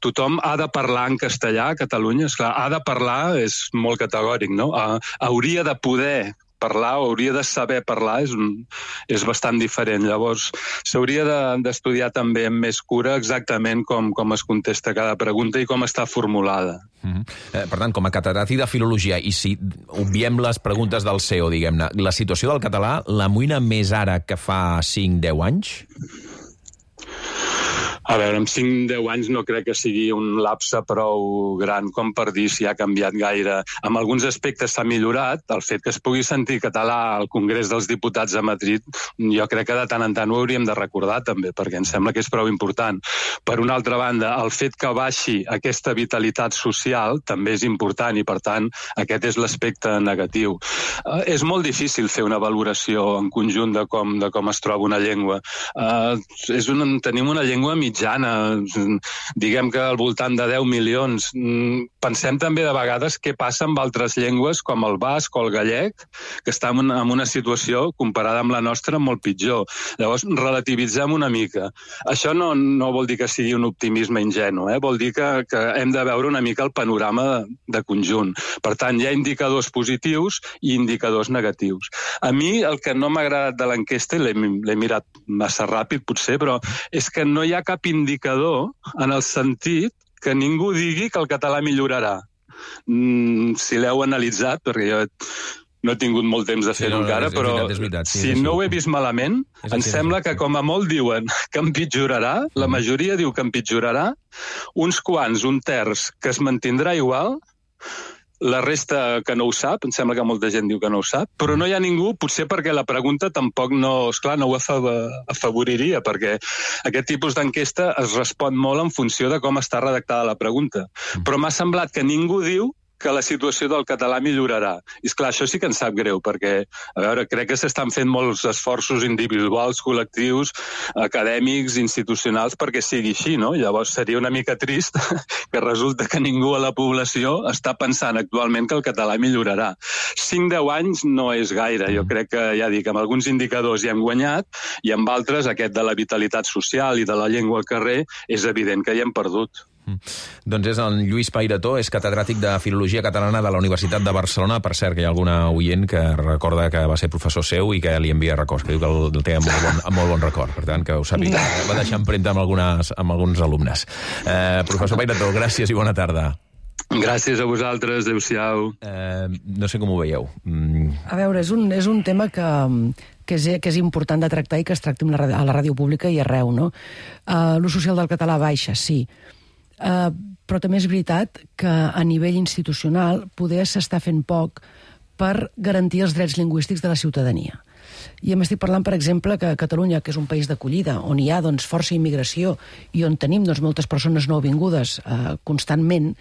tothom ha de parlar en castellà a Catalunya. Esclar, ha de parlar és molt categòric, no? Hauria de poder parlar o hauria de saber parlar és bastant diferent. Llavors, s'hauria d'estudiar també amb més cura exactament com es contesta cada pregunta i com està formulada. Per tant, com a catedràtic de filologia, i si obviem les preguntes del CEO, diguem-ne, la situació del català l'amoïna més ara que fa 5-10 anys? A veure, en 5-10 anys no crec que sigui un lapse prou gran com per dir si ha canviat gaire. En alguns aspectes s'ha millorat. El fet que es pugui sentir català al Congrés dels Diputats a Madrid, jo crec que de tant en tant ho hauríem de recordar també, perquè em sembla que és prou important. Per una altra banda, el fet que baixi aquesta vitalitat social també és important i, per tant, aquest és l'aspecte negatiu. És molt difícil fer una valoració en conjunt de com es troba una llengua. Tenim una llengua mitjana, diguem que al voltant de 10 milions. Pensem també de vegades què passa amb altres llengües com el basc o el gallec, que estan en una situació comparada amb la nostra molt pitjor. Llavors, relativitzem una mica. Això no vol dir que sigui un optimisme ingenu, vol dir que hem de veure una mica el panorama de conjunt. Per tant, hi ha indicadors positius i indicadors negatius. A mi el que no m'ha agradat de l'enquesta, i l'he mirat massa ràpid potser, però és que no hi ha cap indicador en el sentit que ningú digui que el català millorarà. Si l'heu analitzat, perquè jo no he tingut molt temps de fer-ho encara, però si no ho he vist malament, em sembla que com a molt diuen que empitjorarà, la majoria diu que empitjorarà, uns quants, un terç, que es mantindrà igual, la resta que no ho sap, em sembla que molta gent diu que no ho sap, però no hi ha ningú, potser perquè la pregunta tampoc no ho afavoriria, perquè aquest tipus d'enquesta es respon molt en funció de com està redactada la pregunta. Però m'ha semblat que ningú diu que la situació del català millorarà. I esclar, això sí que ens sap greu, perquè, a veure, crec que s'estan fent molts esforços individuals, col·lectius, acadèmics, institucionals, perquè sigui així, no? Llavors seria una mica trist que resulta que ningú a la població està pensant actualment que el català millorarà. 5-10 anys no és gaire. Jo crec que, ja dic, amb alguns indicadors hi hem guanyat i amb altres, aquest de la vitalitat social i de la llengua al carrer, és evident que hi hem perdut. Doncs és en Lluís Pairató, és catedràtic de Filologia Catalana de la Universitat de Barcelona. Per cert, que hi ha alguna oient que recorda que va ser professor seu i que li envia records, que diu que el té amb molt bon record. Per tant, que ho sàpiga, va deixar empremta amb alguns alumnes. Professor Pairató, gràcies i bona tarda. Gràcies a vosaltres, adéu-siau. No sé com ho veieu. A veure, és un tema que és important de tractar i que es tracti a la ràdio pública i arreu, no? L'ús social del català baixa, sí. Però també és veritat que a nivell institucional poder s'està fent poc per garantir els drets lingüístics de la ciutadania. I estic parlant, per exemple, que Catalunya, que és un país d'acollida, on hi ha força immigració i on tenim moltes persones nouvingudes constantment,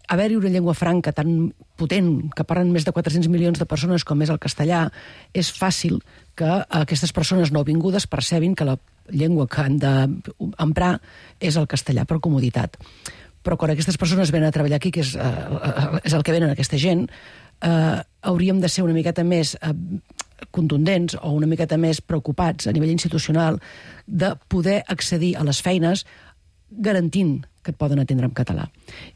haver-hi una llengua franca tan potent, que parlen més de 400 milions de persones com és el castellà, és fàcil que aquestes persones nouvingudes percebin que la llengua que han d'emprar és el castellà per comoditat. Però quan aquestes persones venen a treballar aquí, que és el que venen aquesta gent, hauríem de ser una miqueta més contundents o una miqueta més preocupats a nivell institucional de poder accedir a les feines garantint que et poden atendre en català.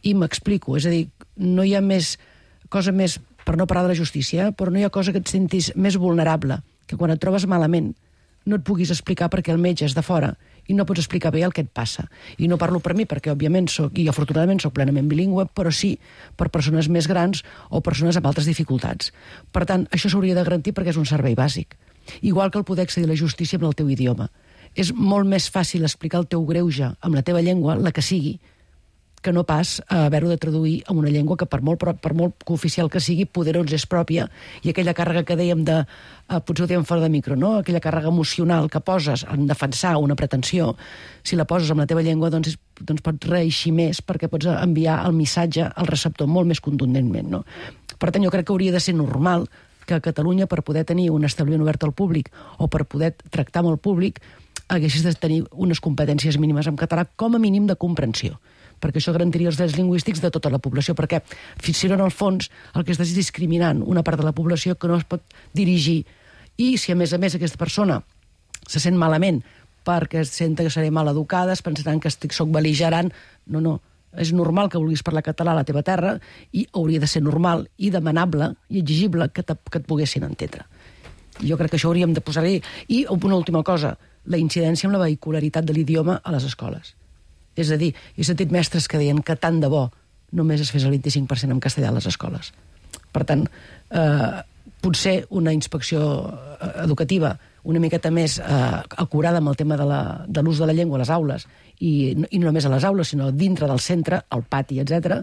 I m'explico, és a dir, no hi ha cosa més, per no parlar de la justícia, però no hi ha cosa que et sentis més vulnerable que quan et trobes malament no et puguis explicar perquè el metge és de fora i no pots explicar bé el que et passa. I no parlo per mi perquè, òbviament, i afortunadament soc plenament bilingüe, però sí per persones més grans o persones amb altres dificultats. Per tant, això s'hauria de garantir perquè és un servei bàsic. Igual que el poder accedir a la justícia amb el teu idioma. És molt més fàcil explicar el teu greuge amb la teva llengua, la que sigui, que no pas haver-ho de traduir en una llengua que per molt cooficial que sigui, poder ens és pròpia, i aquella càrrega que dèiem de, potser ho dèiem fora de micro, no? Aquella càrrega emocional que poses en defensar una pretensió, si la poses en la teva llengua, doncs pots reeixir més perquè pots enviar el missatge al receptor molt més contundentment, no? Per tant, jo crec que hauria de ser normal que a Catalunya, per poder tenir un establiment obert al públic o per poder tractar amb el públic, haguessis de tenir unes competències mínimes en català, com a mínim de comprensió, perquè això garantiria els drets lingüístics de tota la població, perquè fins i tot en el fons el que estàs discriminant una part de la població que no es pot dirigir, i si a més aquesta persona se sent malament perquè sent que seré mal educada, es pensaran que soc bel·ligerant, no, és normal que vulguis parlar català a la teva terra i hauria de ser normal i demanable i exigible que et poguessin entendre. Jo crec que això hauríem de posar-hi. I una última cosa, la incidència amb la vehicularitat de l'idioma a les escoles. És a dir, he sentit mestres que deien que tant de bo només es fes el 25% en castellà a les escoles. Per tant, potser una inspecció educativa una miqueta més acurada amb el tema de l'ús de la llengua a les aules, i no només a les aules, sinó dintre del centre, al pati, etc.,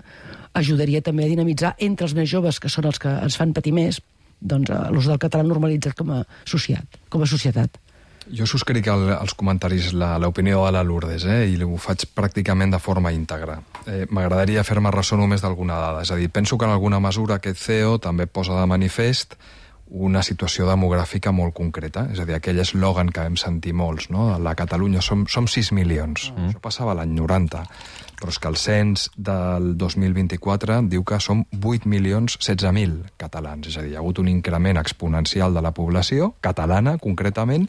ajudaria també a dinamitzar entre els més joves, que són els que ens fan patir més, doncs l'ús del català normalitzat com a societat. Jo subscric els comentaris, l'opinió de la Lourdes, i ho faig pràcticament de forma íntegra. M'agradaria fer-me ressò només d'alguna dada. És a dir, penso que en alguna mesura aquest CEO també posa de manifest una situació demogràfica molt concreta. És a dir, aquell eslògan que vam sentir molts, no? La Catalunya som 6 milions. Això passava l'any 90. Però és que el cens del 2024 diu que som 8.016.000 catalans. És a dir, hi ha hagut un increment exponencial de la població, catalana concretament,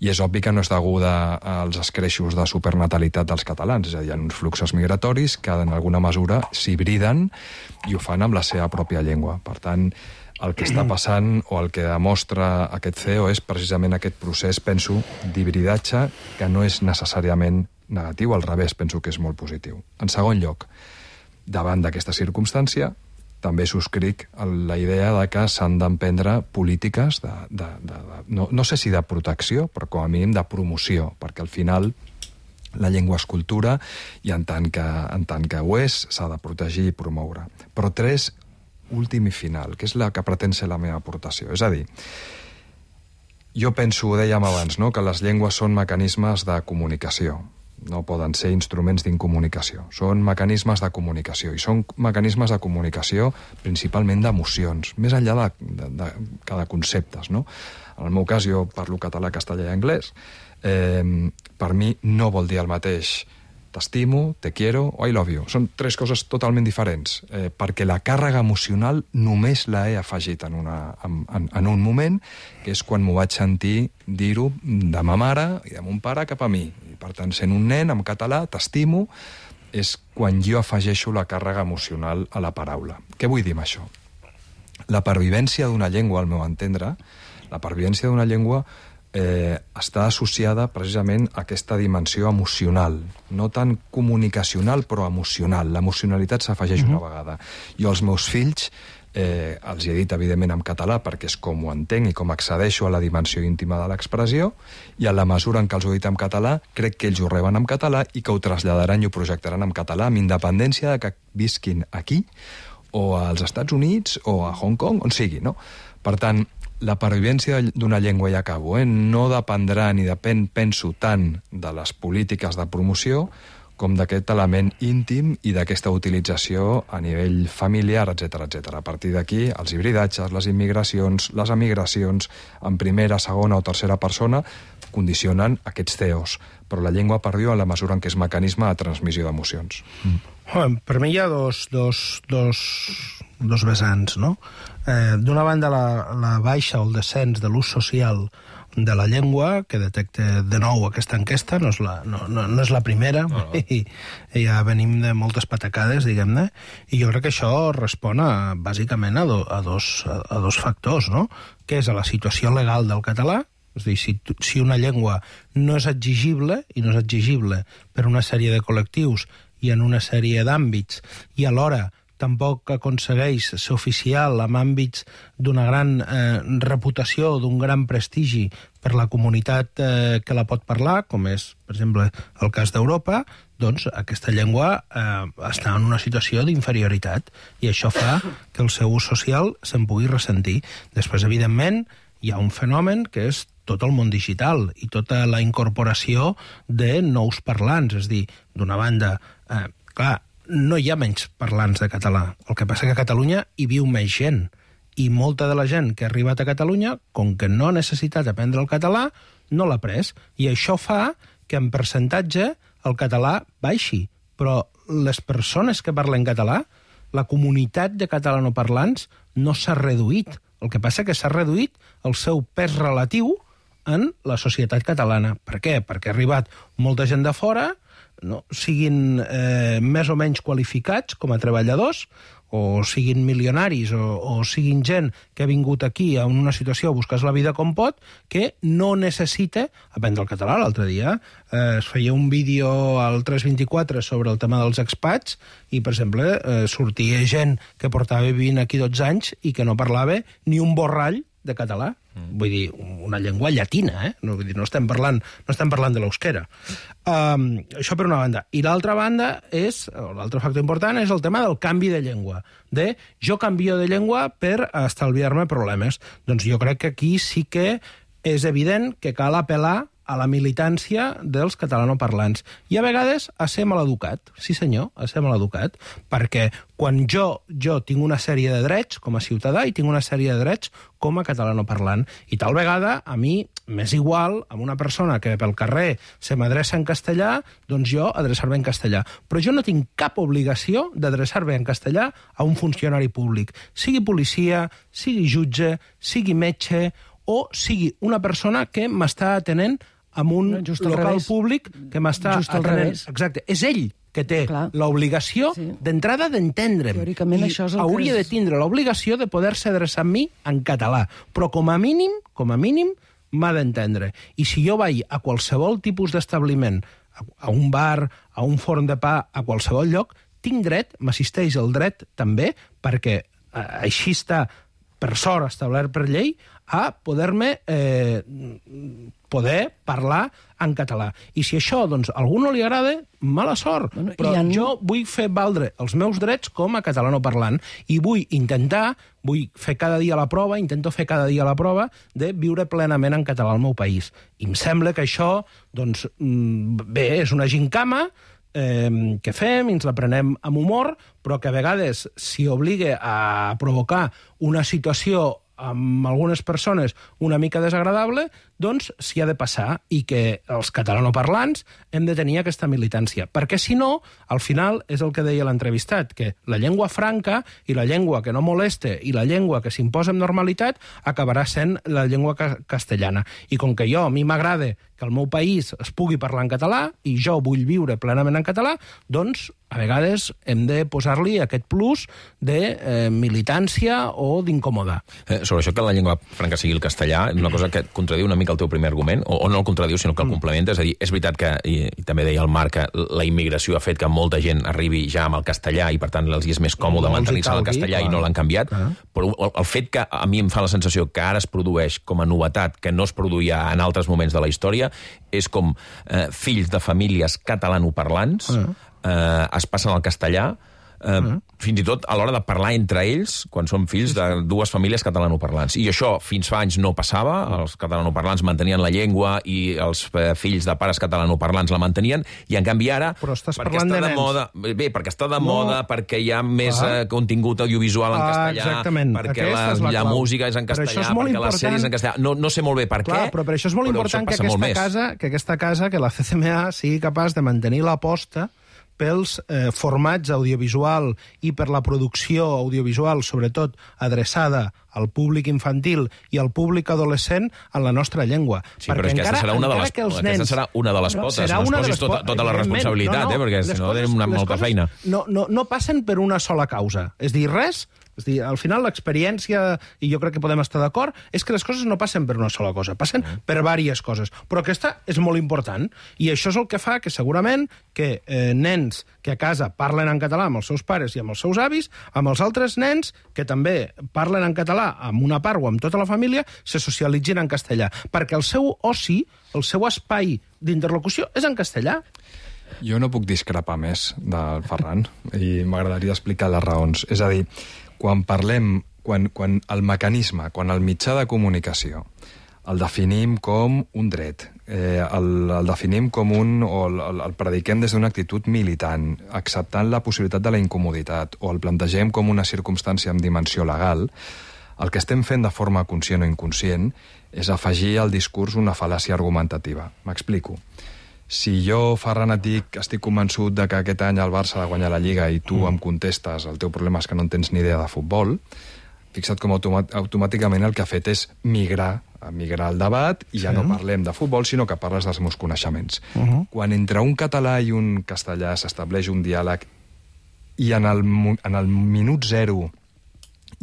i és obvi que no és deguda als escreixos de supernatalitat dels catalans. És a dir, hi ha uns fluxos migratoris que en alguna mesura s'hibriden i ho fan amb la seva pròpia llengua. Per tant, el que està passant o el que demostra aquest CEO és precisament aquest procés, penso, d'hibridatge que no és necessàriament negatiu, al revés, penso que és molt positiu. En segon lloc, davant d'aquesta circumstància, també subscric la idea de que s'han d'emprendre polítiques no sé si de protecció, però com a mínim de promoció, perquè al final la llengua és cultura i en tant que ho és, s'ha de protegir i promoure. Però tres, últim i final, que és la que pretén ser la meva aportació. És a dir, jo penso, ho dèiem abans, no?, que les llengües són mecanismes de comunicació. No poden ser instruments d'incomunicació. Són mecanismes de comunicació, i són mecanismes de comunicació principalment d'emocions, més enllà de conceptes, no? En el meu cas, jo parlo català, castellà i anglès. Per mi no vol dir el mateix t'estimo, te quiero o I love you. Són tres coses totalment diferents, perquè la càrrega emocional només la he afegit en un moment, que és quan m'ho vaig sentir dir-ho de ma mare i de mon pare cap a mi. I per tant, sent un nen, en català, t'estimo, és quan jo afegeixo la càrrega emocional a la paraula. Què vull dir amb això? La pervivència d'una llengua, al meu entendre, la pervivència d'una llengua està associada precisament a aquesta dimensió emocional, no tant comunicacional, però emocional. L'emocionalitat s'afegeix una vegada. Jo als meus fills els he dit, evidentment, en català, perquè és com ho entenc i com accedeixo a la dimensió íntima de l'expressió, i en la mesura en què els ho he dit en català, crec que ells ho reben en català i que ho traslladaran i ho projectaran en català, amb independència de que visquin aquí, o als Estats Units, o a Hong Kong, on sigui, no? Per tant, la pervivència d'una llengua, i acabo, no dependrà ni depèn, penso, tant de les polítiques de promoció com d'aquest element íntim i d'aquesta utilització a nivell familiar, etc. A partir d'aquí, els hibridatges, les immigracions, les emigracions, en primera, segona o tercera persona, condicionen aquests CEOs. Però la llengua perviu en la mesura en què és mecanisme de transmissió d'emocions. Per mi hi ha dos dos vessants, no? D'una banda, la baixa o el descens de l'ús social de la llengua, que detecta de nou aquesta enquesta, no és la primera, i ja venim de moltes patacades, diguem-ne, i jo crec que això respon bàsicament a dos factors, no? Que és a la situació legal del català, és a dir, si una llengua no és exigible, i no és exigible per una sèrie de col·lectius i en una sèrie d'àmbits, i alhora tampoc aconsegueix ser oficial en àmbits d'una gran reputació, d'un gran prestigi per la comunitat que la pot parlar, com és, per exemple, el cas d'Europa, doncs aquesta llengua està en una situació d'inferioritat i això fa que el seu ús social se'n pugui ressentir. Després, evidentment, hi ha un fenomen que és tot el món digital i tota la incorporació de nous parlants. És a dir, d'una banda, clar, no hi ha menys parlants de català. El que passa que a Catalunya hi viu més gent. I molta de la gent que ha arribat a Catalunya, com que no ha necessitat aprendre el català, no l'ha après. I això fa que en percentatge el català baixi. Però les persones que parlen català, la comunitat de catalanoparlants no s'ha reduït. El que passa que s'ha reduït el seu pes relatiu en la societat catalana. Per què? Perquè ha arribat molta gent de fora, no? Siguin més o menys qualificats com a treballadors, o siguin milionaris, o siguin gent que ha vingut aquí en una situació a buscar la vida com pot, que no necessita aprendre el català. L'altre dia es feia un vídeo al 324 sobre el tema dels expats i, per exemple, sortia gent que portava vivint aquí 12 anys i que no parlava ni un borrall de català. Vull dir, una llengua llatina, no, vull dir, no estem parlant de l'eusquera. Això per una banda. I l'altra banda l'altre factor important és el tema del canvi de llengua. Jo canvio de llengua per estalviar-me problemes. Doncs jo crec que aquí sí que és evident que cal apel·lar a la militància dels catalanoparlants. I a vegades a ser maleducat. Sí, senyor, a ser maleducat. Perquè quan jo tinc una sèrie de drets com a ciutadà i tinc una sèrie de drets com a catalanoparlant. I tal vegada a mi m'és igual amb una persona que pel carrer se m'adreça en castellà, doncs jo adreçar-me en castellà. Però jo no tinc cap obligació d'adreçar-me en castellà a un funcionari públic. Sigui policia, sigui jutge, sigui metge o sigui una persona que m'està atenent en un local públic que m'està atenent. Exacte. És ell que té l'obligació d'entrada d'entendre'm. Teòricament això és el que hauria de tindre l'obligació de poder-se adreçar a mi en català. Però com a mínim, m'ha d'entendre. I si jo vaig a qualsevol tipus d'establiment, a un bar, a un forn de pa, a qualsevol lloc, tinc dret, m'assisteix el dret també, perquè així està, per sort, establert per llei, a poder-me poder parlar en català. I si això, doncs, a algú no li agrada, mala sort. Però jo vull fer valdre els meus drets com a catalanoparlant i vull fer cada dia la prova, de viure plenament en català al meu país. I em sembla que això, doncs, bé, és una gincama que fem, ens la prenem amb humor, però que a vegades, si obliga a provocar una situació amb algunes persones una mica desagradable, doncs s'hi ha de passar i que els catalanoparlants hem de tenir aquesta militància. Perquè si no, al final és el que deia l'entrevistat, que la llengua franca i la llengua que no moleste i la llengua que s'imposa amb normalitat acabarà sent la llengua castellana. I com que a mi m'agrada que el meu país es pugui parlar en català i jo vull viure plenament en català, doncs a vegades hem de posar-li aquest plus de militància o d'incomodar. Sobre això que la llengua franca sigui el castellà, és una cosa que contradiu una mica el teu primer argument, o no el contradiu, sinó que el complementa. És a dir, és veritat que, i també deia el Marc, que la immigració ha fet que molta gent arribi ja amb el castellà i per tant els és més còmode mantenir-se en el castellà i no l'han canviat, però el fet que a mi em fa la sensació que ara es produeix com a novetat, que no es produïa en altres moments de la història, és com fills de famílies catalanoparlants es passen al castellà, fins i tot a l'hora de parlar entre ells, quan són fills de dues famílies catalanoparlants. I això fins fa anys no passava, els catalanoparlants mantenien la llengua i els fills de pares catalanoparlants la mantenien, i en canvi ara, perquè està de moda, perquè està de moda, perquè hi ha més contingut audiovisual en castellà, perquè la música és en castellà, perquè les sèries en castellà, no sé molt bé per què, però per això és molt important que aquesta casa, que la CCMA sigui capaç de mantenir l'aposta pels formats audiovisual i per la producció audiovisual, sobretot adreçada al públic infantil i al públic adolescent en la nostra llengua. Sí, però és que aquesta serà una de les potes. No es posis tota la responsabilitat, perquè si no tenim molta feina. No passen per una sola causa. És dir, res... És dir, al final l'experiència, i jo crec que podem estar d'acord, és que les coses no passen per una sola cosa, passen per diverses coses. Però aquesta és molt important, i això és el que fa que segurament que nens que a casa parlen en català amb els seus pares i amb els seus avis, amb els altres nens que també parlen en català amb una part o amb tota la família, se socialitzin en castellà. Perquè el seu oci, el seu espai d'interlocució és en castellà. Jo no puc discrepar més del Ferran i m'agradaria explicar les raons. És a dir, quan parlem, quan el mecanisme, quan el mitjà de comunicació el definim com un dret, el definim com el prediquem des d'una actitud militant, acceptant la possibilitat de la incomoditat, o el plantegem com una circumstància amb dimensió legal, el que estem fent de forma conscient o inconscient és afegir al discurs una fal·làcia argumentativa. M'explico. Si jo, Ferran, et dic, estic convençut de que aquest any el Barça ha de guanyar la Lliga i tu em contestes el teu problema és que no en tens ni idea de futbol, fixa't com automàticament el que ha fet és migrar el debat i ja no parlem de futbol, sinó que parles dels meus coneixements. Quan entre un català i un castellà s'estableix un diàleg i en el minut zero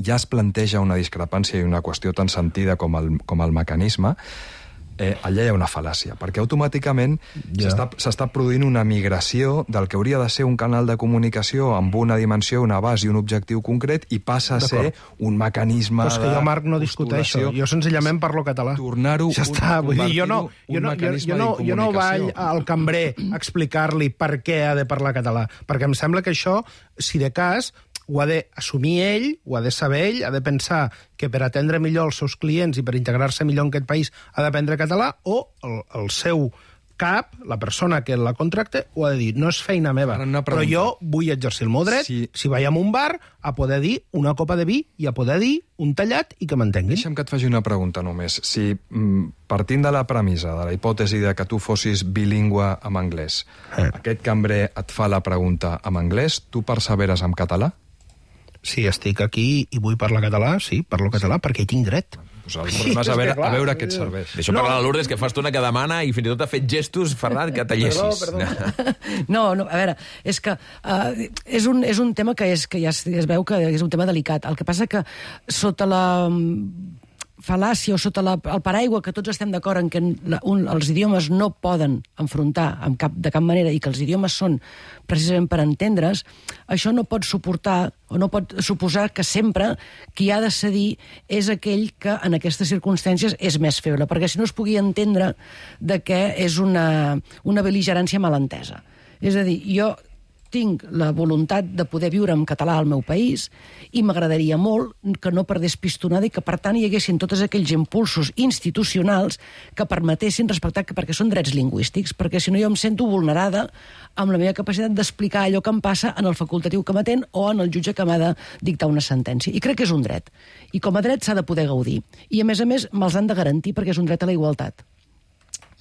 ja es planteja una discrepància i una qüestió tan sentida com el mecanisme, allà hi ha una fal·làcia, perquè automàticament s'està produint una migració del que hauria de ser un canal de comunicació amb una dimensió, un abast i un objectiu concret i passa a ser un mecanisme de... Però és que jo, Marc, no discuteixo. Jo senzillament parlo català. Tornar-ho... Ja està. Jo no vaig al cambrer a explicar-li per què ha de parlar català, perquè em sembla que això, si de cas, ho ha d'assumir ell, ho ha de saber ell, ha de pensar que per atendre millor els seus clients i per integrar-se millor en aquest país ha d'aprendre català, o el seu cap, la persona que la contracta, ho ha de dir. No és feina meva, però jo vull exercir el meu dret, si vaig a un bar, a poder dir una copa de vi i a poder dir un tallat i que m'entenguin. Deixa'm que et faci una pregunta només. Si, partint de la premissa, de la hipòtesi de que tu fossis bilingüe amb anglès, aquest cambrer et fa la pregunta en anglès, tu perseveres en català? Si estic aquí i vull parlar català, sí, parlo català, perquè hi tinc dret. Pues el problema és a veure què et serveix. Deixa parlar a Lourdes, que fa estona que demana i fins i tot ha fet gestos, Ferran, que tallessis. No, a veure, és que és un tema que ja es veu que és un tema delicat. El que passa que sota la fal·làcia o sota el paraigua que tots estem d'acord en que els idiomes no poden enfrontar de cap manera i que els idiomes són precisament per entendre's, això no pot suportar o no pot suposar que sempre qui ha de cedir és aquell que en aquestes circumstàncies és més feble, perquè si no es pugui entendre de que és una bel·ligerància malentesa. És a dir, jo tinc la voluntat de poder viure en català al meu país i m'agradaria molt que no perdés pistonada i que, per tant, hi haguessin tots aquells impulsos institucionals que permetessin respectar, perquè són drets lingüístics, perquè si no jo em sento vulnerada amb la meva capacitat d'explicar allò que em passa en el facultatiu que m'atén o en el jutge que m'ha de dictar una sentència. I crec que és un dret. I com a dret s'ha de poder gaudir. I, a més, me'ls han de garantir perquè és un dret a la igualtat.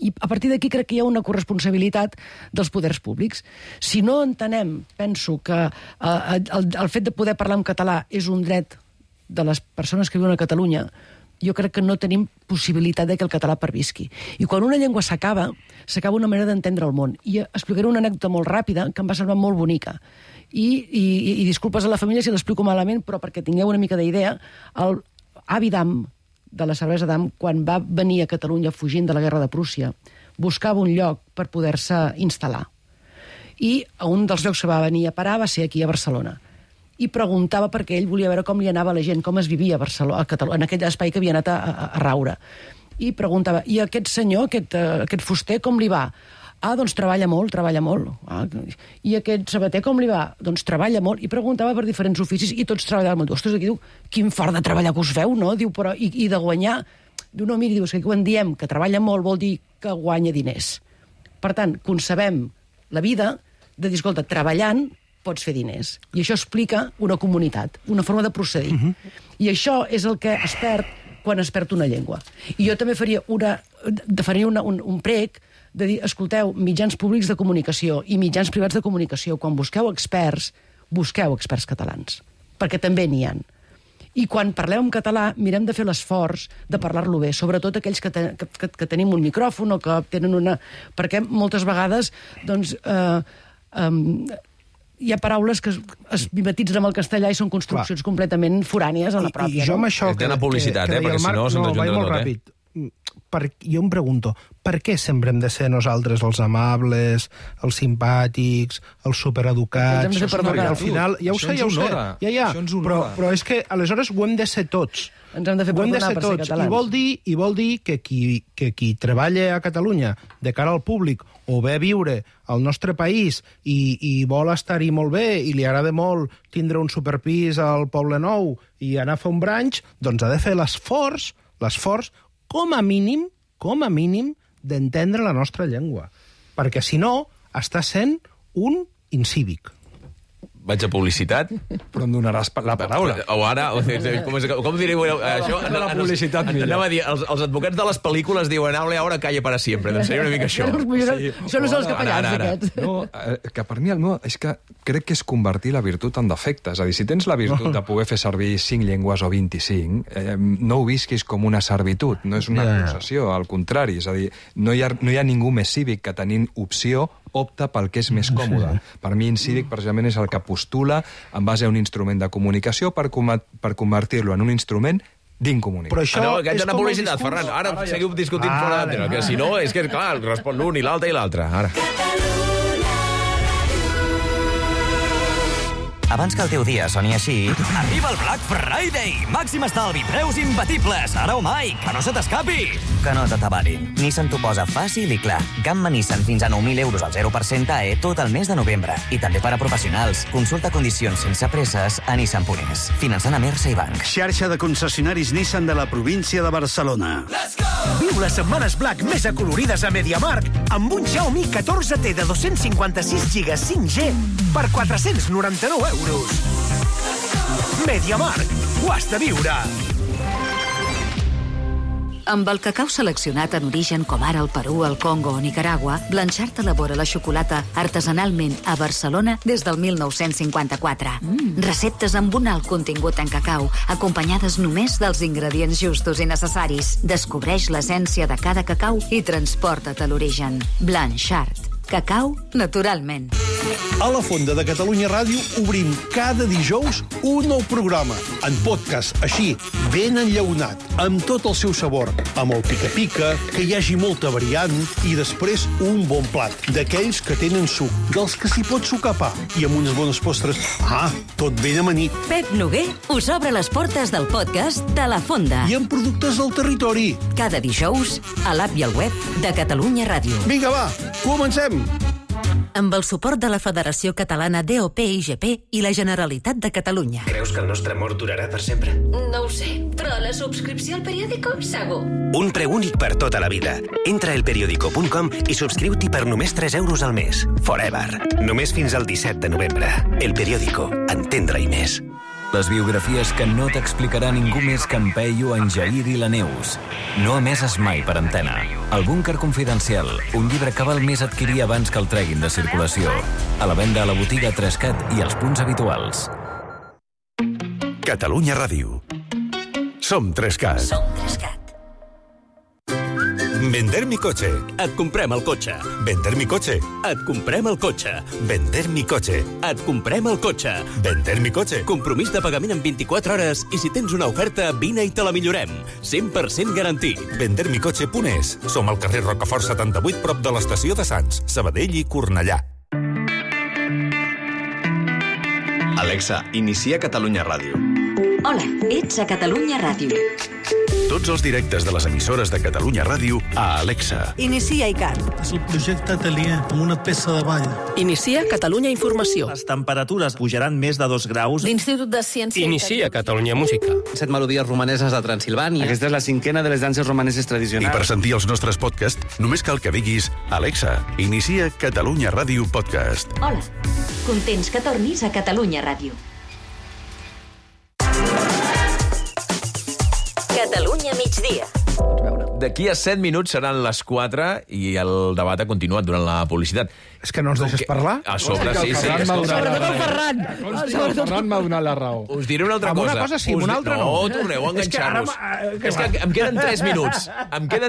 I a partir d'aquí crec que hi ha una corresponsabilitat dels poders públics. Si no entenem, penso que el fet de poder parlar en català és un dret de les persones que viuen a Catalunya, jo crec que no tenim possibilitat de que el català pervisqui. I quan una llengua s'acaba una manera d'entendre el món. I explicaré una anècdota molt ràpida que em va semblar molt bonica. I disculpes a la família si l'explico malament, però perquè tingueu una mica d'idea, el avi d'Am, de la cervesa d'Am, quan va venir a Catalunya fugint de la guerra de Prússia, buscava un lloc per poder-se instal·lar. I a un dels llocs que va venir a parar va ser aquí a Barcelona. I preguntava perquè ell volia veure com li anava a la gent, com es vivia a Barcelona, en aquell espai que havia anat a raure. I preguntava, i aquest senyor, aquest fuster, com li va? Ah, doncs treballa molt. Ah, i aquest sabater com li va? Doncs treballa molt. I preguntava per diferents oficis i tots treballaven molt. Ostres, aquí diu, quin fort de treballar que us feu, no? Diu, però, i de guanyar? Diu, no, miri, diu, és que quan diem que treballa molt vol dir que guanya diners. Per tant, concebem la vida de dir, escolta, treballant pots fer diners. I això explica una comunitat, una forma de procedir. I això és el que es perd quan es perd una llengua. I jo també faria un prec de dir, escolteu, mitjans públics de comunicació i mitjans privats de comunicació, quan busqueu experts catalans, perquè també n'hi ha. I quan parleu en català, mirem de fer l'esforç de parlar-lo bé, sobretot aquells que tenim un micròfon o que tenen una... Perquè moltes vegades, doncs, hi ha paraules que es mimetitzen amb el castellà i són construccions completament forànies a la pròpia. I jo amb això... Té una publicitat, perquè si no se'ns ajunta tot, ràpid. Jo em pregunto, per què sempre hem de ser nosaltres els amables, els simpàtics, els supereducats? Al final, ja ho sé, però és que aleshores ho hem de ser tots. Ens hem de fer perdonar per ser catalans. I vol dir que qui treballa a Catalunya de cara al públic o ve a viure al nostre país i vol estar-hi molt bé i li agrada molt tindre un superpis al Poble Nou i anar a fer un brunch, doncs ha de fer l'esforç, com a mínim, d'entendre la nostra llengua. Perquè, si no, està sent un incívic. Vaig a publicitat. Però em donaràs la paraula. O ara, com direu això? La publicitat millor. Anava a dir, els advocats de les pel·lícules diuen ahora calla para siempre. Doncs seria una mica això. Això no són els capellans, aquests. No, que per mi el meu... És que crec que és convertir la virtut en defecte. És a dir, si tens la virtut de poder fer servir 5 llengües o 25, no ho visquis com una servitud, no és una concessió, al contrari. És a dir, no hi ha ningú més cívic que tenint opció opta pel que és més còmode. Per mi, incívic, precisament, és el que postula en base a un instrument de comunicació per convertir-lo en un instrument d'incomunicació. Però això és una publicitat, Ferran. Ara seguiu discutint fora d'antena, que si no, és que, clar, respon l'un i l'altre i l'altre. Ara. Abans que el teu dia soni així... Arriba el Black Friday! Màxim estalvi, preus imbatibles, ara o mai, que no se t'escapi! Que no t'atabarin. Nissan t'ho posa fàcil i clar. Gamma Nissan fins a 9.000 euros al 0% AE tot el mes de novembre. I també per a professionals. Consulta condicions sense presses a Nissan.es. Finançant a Mersa i Banc. Xarxa de concessionaris Nissan de la província de Barcelona. Viu les setmanes Black més acolorides a MediaMarkt amb un Xiaomi 14T de 256 GB 5G per 499 euros. MediaMarkt, ho has de viure! Amb el cacau seleccionat en origen com ara el Perú, el Congo o Nicaragua, Blanchard elabora la xocolata artesanalment a Barcelona des del 1954. Receptes amb un alt contingut en cacau, acompanyades només dels ingredients justos i necessaris. Descobreix l'essència de cada cacau i transporta't a l'origen. Blanchard. Cacau naturalment. A la Fonda de Catalunya Ràdio obrim cada dijous un nou programa, en podcast, així, ben enllaunat, amb tot el seu sabor, amb el pica-pica, que hi hagi molta variant, i després un bon plat, d'aquells que tenen suc, dels que s'hi pot sucar pa, i amb unes bones postres. Tot ben amanit. Pep Noguer us obre les portes del podcast de La Fonda. I amb productes del territori. Cada dijous, a l'app i al web de Catalunya Ràdio. Vinga, va, comencem! Amb el suport de la Federació Catalana DOP-IGP i la Generalitat de Catalunya. Creus que el nostre amor durarà per sempre? No ho sé, però la subscripció al periòdico, segur. Un preu únic per tota la vida. Entra a elperiodico.com i subscriu-t'hi per només 3 euros al mes. Forever. Només fins al 17 de novembre. El Periódico. Entendre-hi més. Les biografies que no t'explicarà ningú més que en Peyu, en Jair i la Neus. No emeses mai per antena. El búnquer confidencial, un llibre que val més adquirir abans que el treguin de circulació. A la venda a la botiga Trescat i als punts habituals. Catalunya Ràdio. Som Trescat. Som Trescat. Vender mi coche. Et comprem el cotxe. Vender mi coche. Et comprem el cotxe. Vender mi coche. Et comprem el cotxe. Vender mi coche. Compromís de pagament en 24 hores i si tens una oferta, vine i te la millorem. 100% garantit. Vendermicoche.es. Som al carrer Rocafort 78, prop de l'estació de Sants, Sabadell i Cornellà. Alexa, inicia Catalunya Ràdio. Hola, ets a Catalunya Ràdio. Tots els directes de les emissores de Catalunya Ràdio a Alexa. Inicia ICAT. És el projecte Atelier, amb una peça de ball. Inicia Catalunya Informació. Les temperatures pujaran més de 2 graus. L'Institut de Ciència... Inicia Catalunya Música. 7 melodies romaneses de Transilvània. Aquesta és la 5a de les danses romaneses tradicionals. I per sentir els nostres podcasts, només cal que diguis Alexa, inicia Catalunya Ràdio Podcast. Hola, contents que tornis a Catalunya Ràdio. Catalunya migdia, D'aquí a 7 minuts seran les 4 i el debat ha continuat durant la publicitat. És que no ens deixes parlar? A sobre, sí. Sobretot el Ferran. El Ferran m'ha donat la raó. Us diré una altra cosa. Amb una cosa sí, amb una altra no. No, torneu a enganxar-vos. És que em queden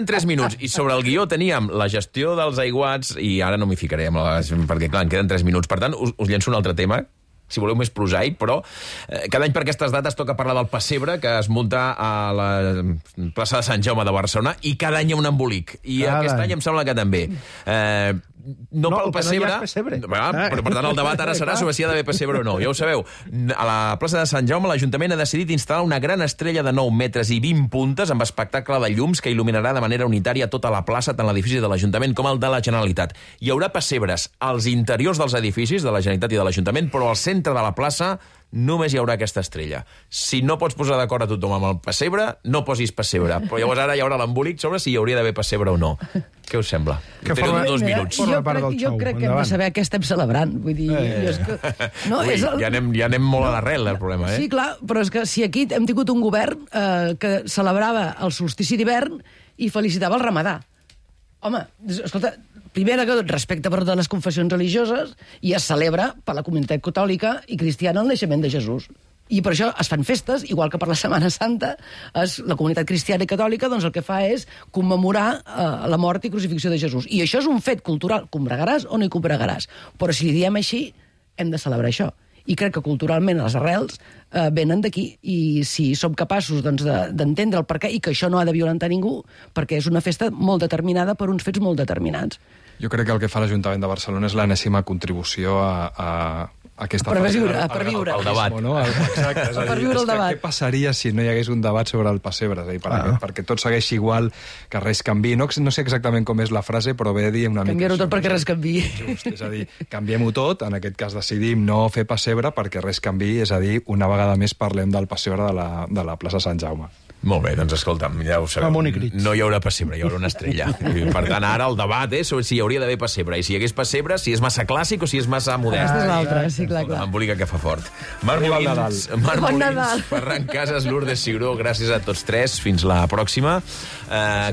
3 minuts. I sobre el guió teníem la gestió dels aiguats i ara no m'hi ficaré, perquè clar, em queden 3 minuts. Per tant, us llenço un altre tema, si voleu més prosaic, però cada any per aquestes dates toca parlar del pessebre que es munta a la plaça de Sant Jaume de Barcelona i cada any hi ha un embolic. I aquest any em sembla que també. No pel pessebre, però per tant el debat ara serà sobre si hi ha d'haver pessebre o no. Ja ho sabeu, a la plaça de Sant Jaume l'Ajuntament ha decidit instal·lar una gran estrella de 9 metres i 20 puntes amb espectacle de llums que il·luminarà de manera unitària tota la plaça, tant l'edifici de l'Ajuntament com el de la Generalitat. Hi haurà pessebres als interiors dels edificis de la Generalitat i de l'Ajuntament, però al centre de la plaça només hi haurà aquesta estrella. Si no pots posar d'acord a tothom amb el pessebre, no posis pessebre. Però llavors ara hi haurà l'embolic sobre si hi hauria d'haver pessebre o no. Què us sembla? Teniu 2 minuts. Jo crec que hem de saber què estem celebrant. Vull dir, ja anem molt a l'arrel, el problema. Sí, clar, però és que si aquí hem tingut un govern que celebrava el solstici d'hivern i felicitava el ramadà. Home, escolta, primera que tot, respecte per totes les confessions religioses i es celebra per la comunitat catòlica i cristiana el naixement de Jesús. I per això es fan festes, igual que per la Setmana Santa, la comunitat cristiana i catòlica doncs el que fa és commemorar la mort i crucifixió de Jesús. I això és un fet cultural. Combregaràs o no hi combregaràs? Però si li diem així, hem de celebrar això. I crec que culturalment les arrels venen d'aquí. I si som capaços d'entendre el perquè i que això no ha de violentar ningú, perquè és una festa molt determinada per uns fets molt determinats. Jo crec que el que fa l'Ajuntament de Barcelona és l'enèsima contribució a aquesta per viure. El debat. No? Exacte, és a dir, per viure el debat. Què passaria si no hi hagués un debat sobre el pessebre? És a dir, perquè tot segueixi igual, que res canvi. No sé exactament com és la frase, però ve a dir una mica... Canviar-ho tot perquè res canvi. Just, és a dir, canviem-ho tot, en aquest cas decidim no fer pessebre perquè res canvi, és a dir, una vegada més parlem del pessebre de la plaça Sant Jaume. Molt bé, doncs escolta'm, ja ho sabeu, no hi haurà pessebre, hi haurà una estrella. I, per tant, ara el debat és sobre si hi hauria d'haver pessebre, i si hi hagués pessebre, si és massa clàssic o si és massa modern. Aquesta és l'altra, sí, clar. Embolica que fa fort. Marc Molins, Ferran Casas, Lourdes Ciuró, gràcies a tots tres, fins la pròxima.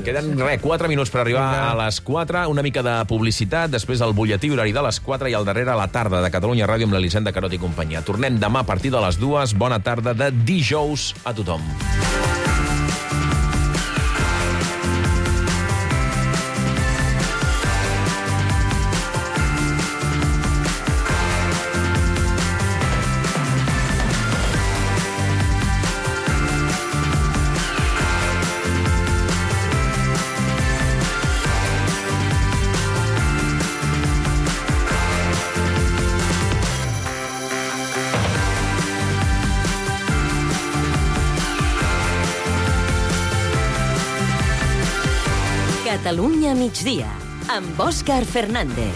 Queden 4 minuts per arribar a les 4, una mica de publicitat, després el butlletí horari de les 4 i al darrere la tarda de Catalunya Ràdio amb l'Elisenda Carot i companyia. Tornem demà a partir de les 2. Bona tarda de dijous a tothom. Catalunya migdia, amb Òscar Fernández.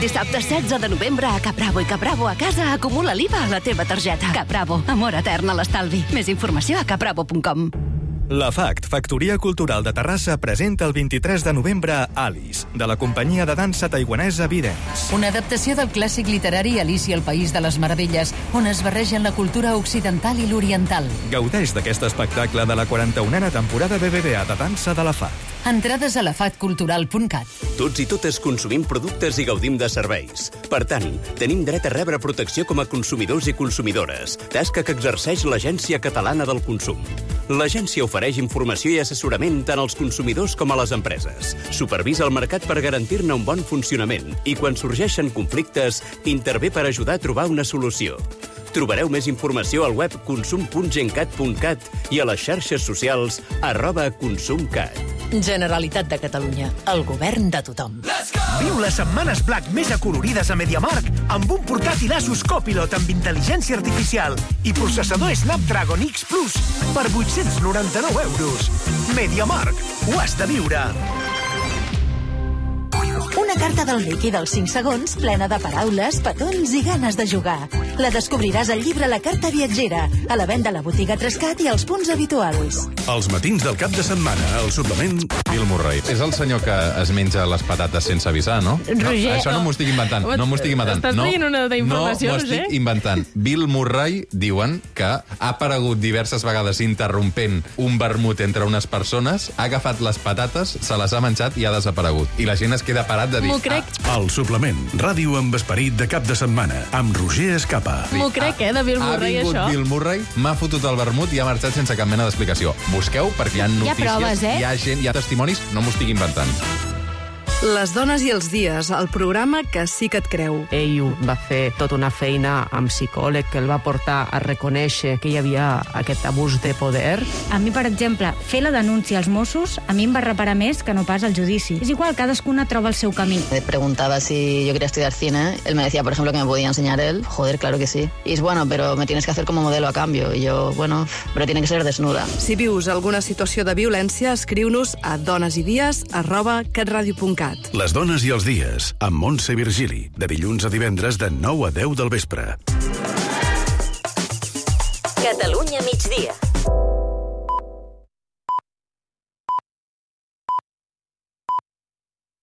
Dissabte 16 de novembre a Capravo i Capravo a casa acumula l'IVA a la teva targeta. Capravo, amor etern a l'estalvi. Més informació a capravo.com. La FACT, Factoria Cultural de Terrassa, presenta el 23 de novembre Alice, de la companyia de dansa taiwanesa Videns. Una adaptació del clàssic literari Alicia, el País de les Meravelles, on es barregen la cultura occidental i l'oriental. Gaudeix d'aquest espectacle de la 41a temporada BBVA de dansa de la FACT. Entrades a lafatcultural.cat. Tots i totes consumim productes i gaudim de serveis. Per tant, tenim dret a rebre protecció com a consumidors i consumidores, tasca que exerceix l'Agència Catalana del Consum. L'agència ofereix informació i assessorament tant als consumidors com a les empreses. Supervisa el mercat per garantir-ne un bon funcionament i, quan sorgeixen conflictes, intervé per ajudar a trobar una solució. Trobareu més informació al web consum.gencat.cat i a les xarxes socials @consumcat. Generalitat de Catalunya, el govern de tothom. Viu les setmanes Black més acolorides a MediaMarkt amb un portàtil Asus Copilot amb intel·ligència artificial i processador Snapdragon X Plus per 899 €. MediaMarkt, ho has de viure. Una carta del líquid dels 5 segons, plena de paraules, petons i ganes de jugar. La descobriràs al llibre La carta viatgera, a la venda a la botiga Trescat i als punts habituals. Els matins del cap de setmana, al suplement... Bill Murray. És el senyor que es menja les patates sense avisar, no? Roger, això no m'ho estic inventant. No m'ho estic inventant. Estàs traient una d'informació, Roger? No m'ho estic inventant. Bill Murray, diuen, que ha aparegut diverses vegades interrompent un vermut entre unes persones, ha agafat les patates, se les ha menjat i ha desaparegut. I la gent es queda parat de dir... M'ho crec. El suplement, ràdio amb esperit de cap de setmana, amb Roger Escapa. M'ho crec, de Bill Murray, això. Ha vingut Bill Murray, m'ha fotut el vermut i ha marxat sense cap mena d'explicació. Busqueu, perquè hi ha notícies, hi ha proves, hi ha gent, hi ha testimonis, no m'ho estic inventant. Les dones i els dies, el programa que sí que et creu. Ell va fer tota una feina amb psicòleg que el va portar a reconèixer que hi havia aquest abús de poder. A mi, per exemple, fer la denúncia als Mossos a mi em va reparar més que no pas al judici. És igual, cadascuna troba el seu camí. Me preguntaba si yo quería estudiar cine. Él me decía, por ejemplo, que me podía enseñar él. Joder, claro que sí. Y es bueno, pero me tienes que hacer como modelo a cambio. Y yo, bueno, pero tiene que ser desnuda. Si vius alguna situació de violència, escriu-nos a donesidies@catradio.cat. Les dones i els dies, amb Montse Virgili, de dilluns a divendres de 9 a 10 del vespre. Catalunya migdia.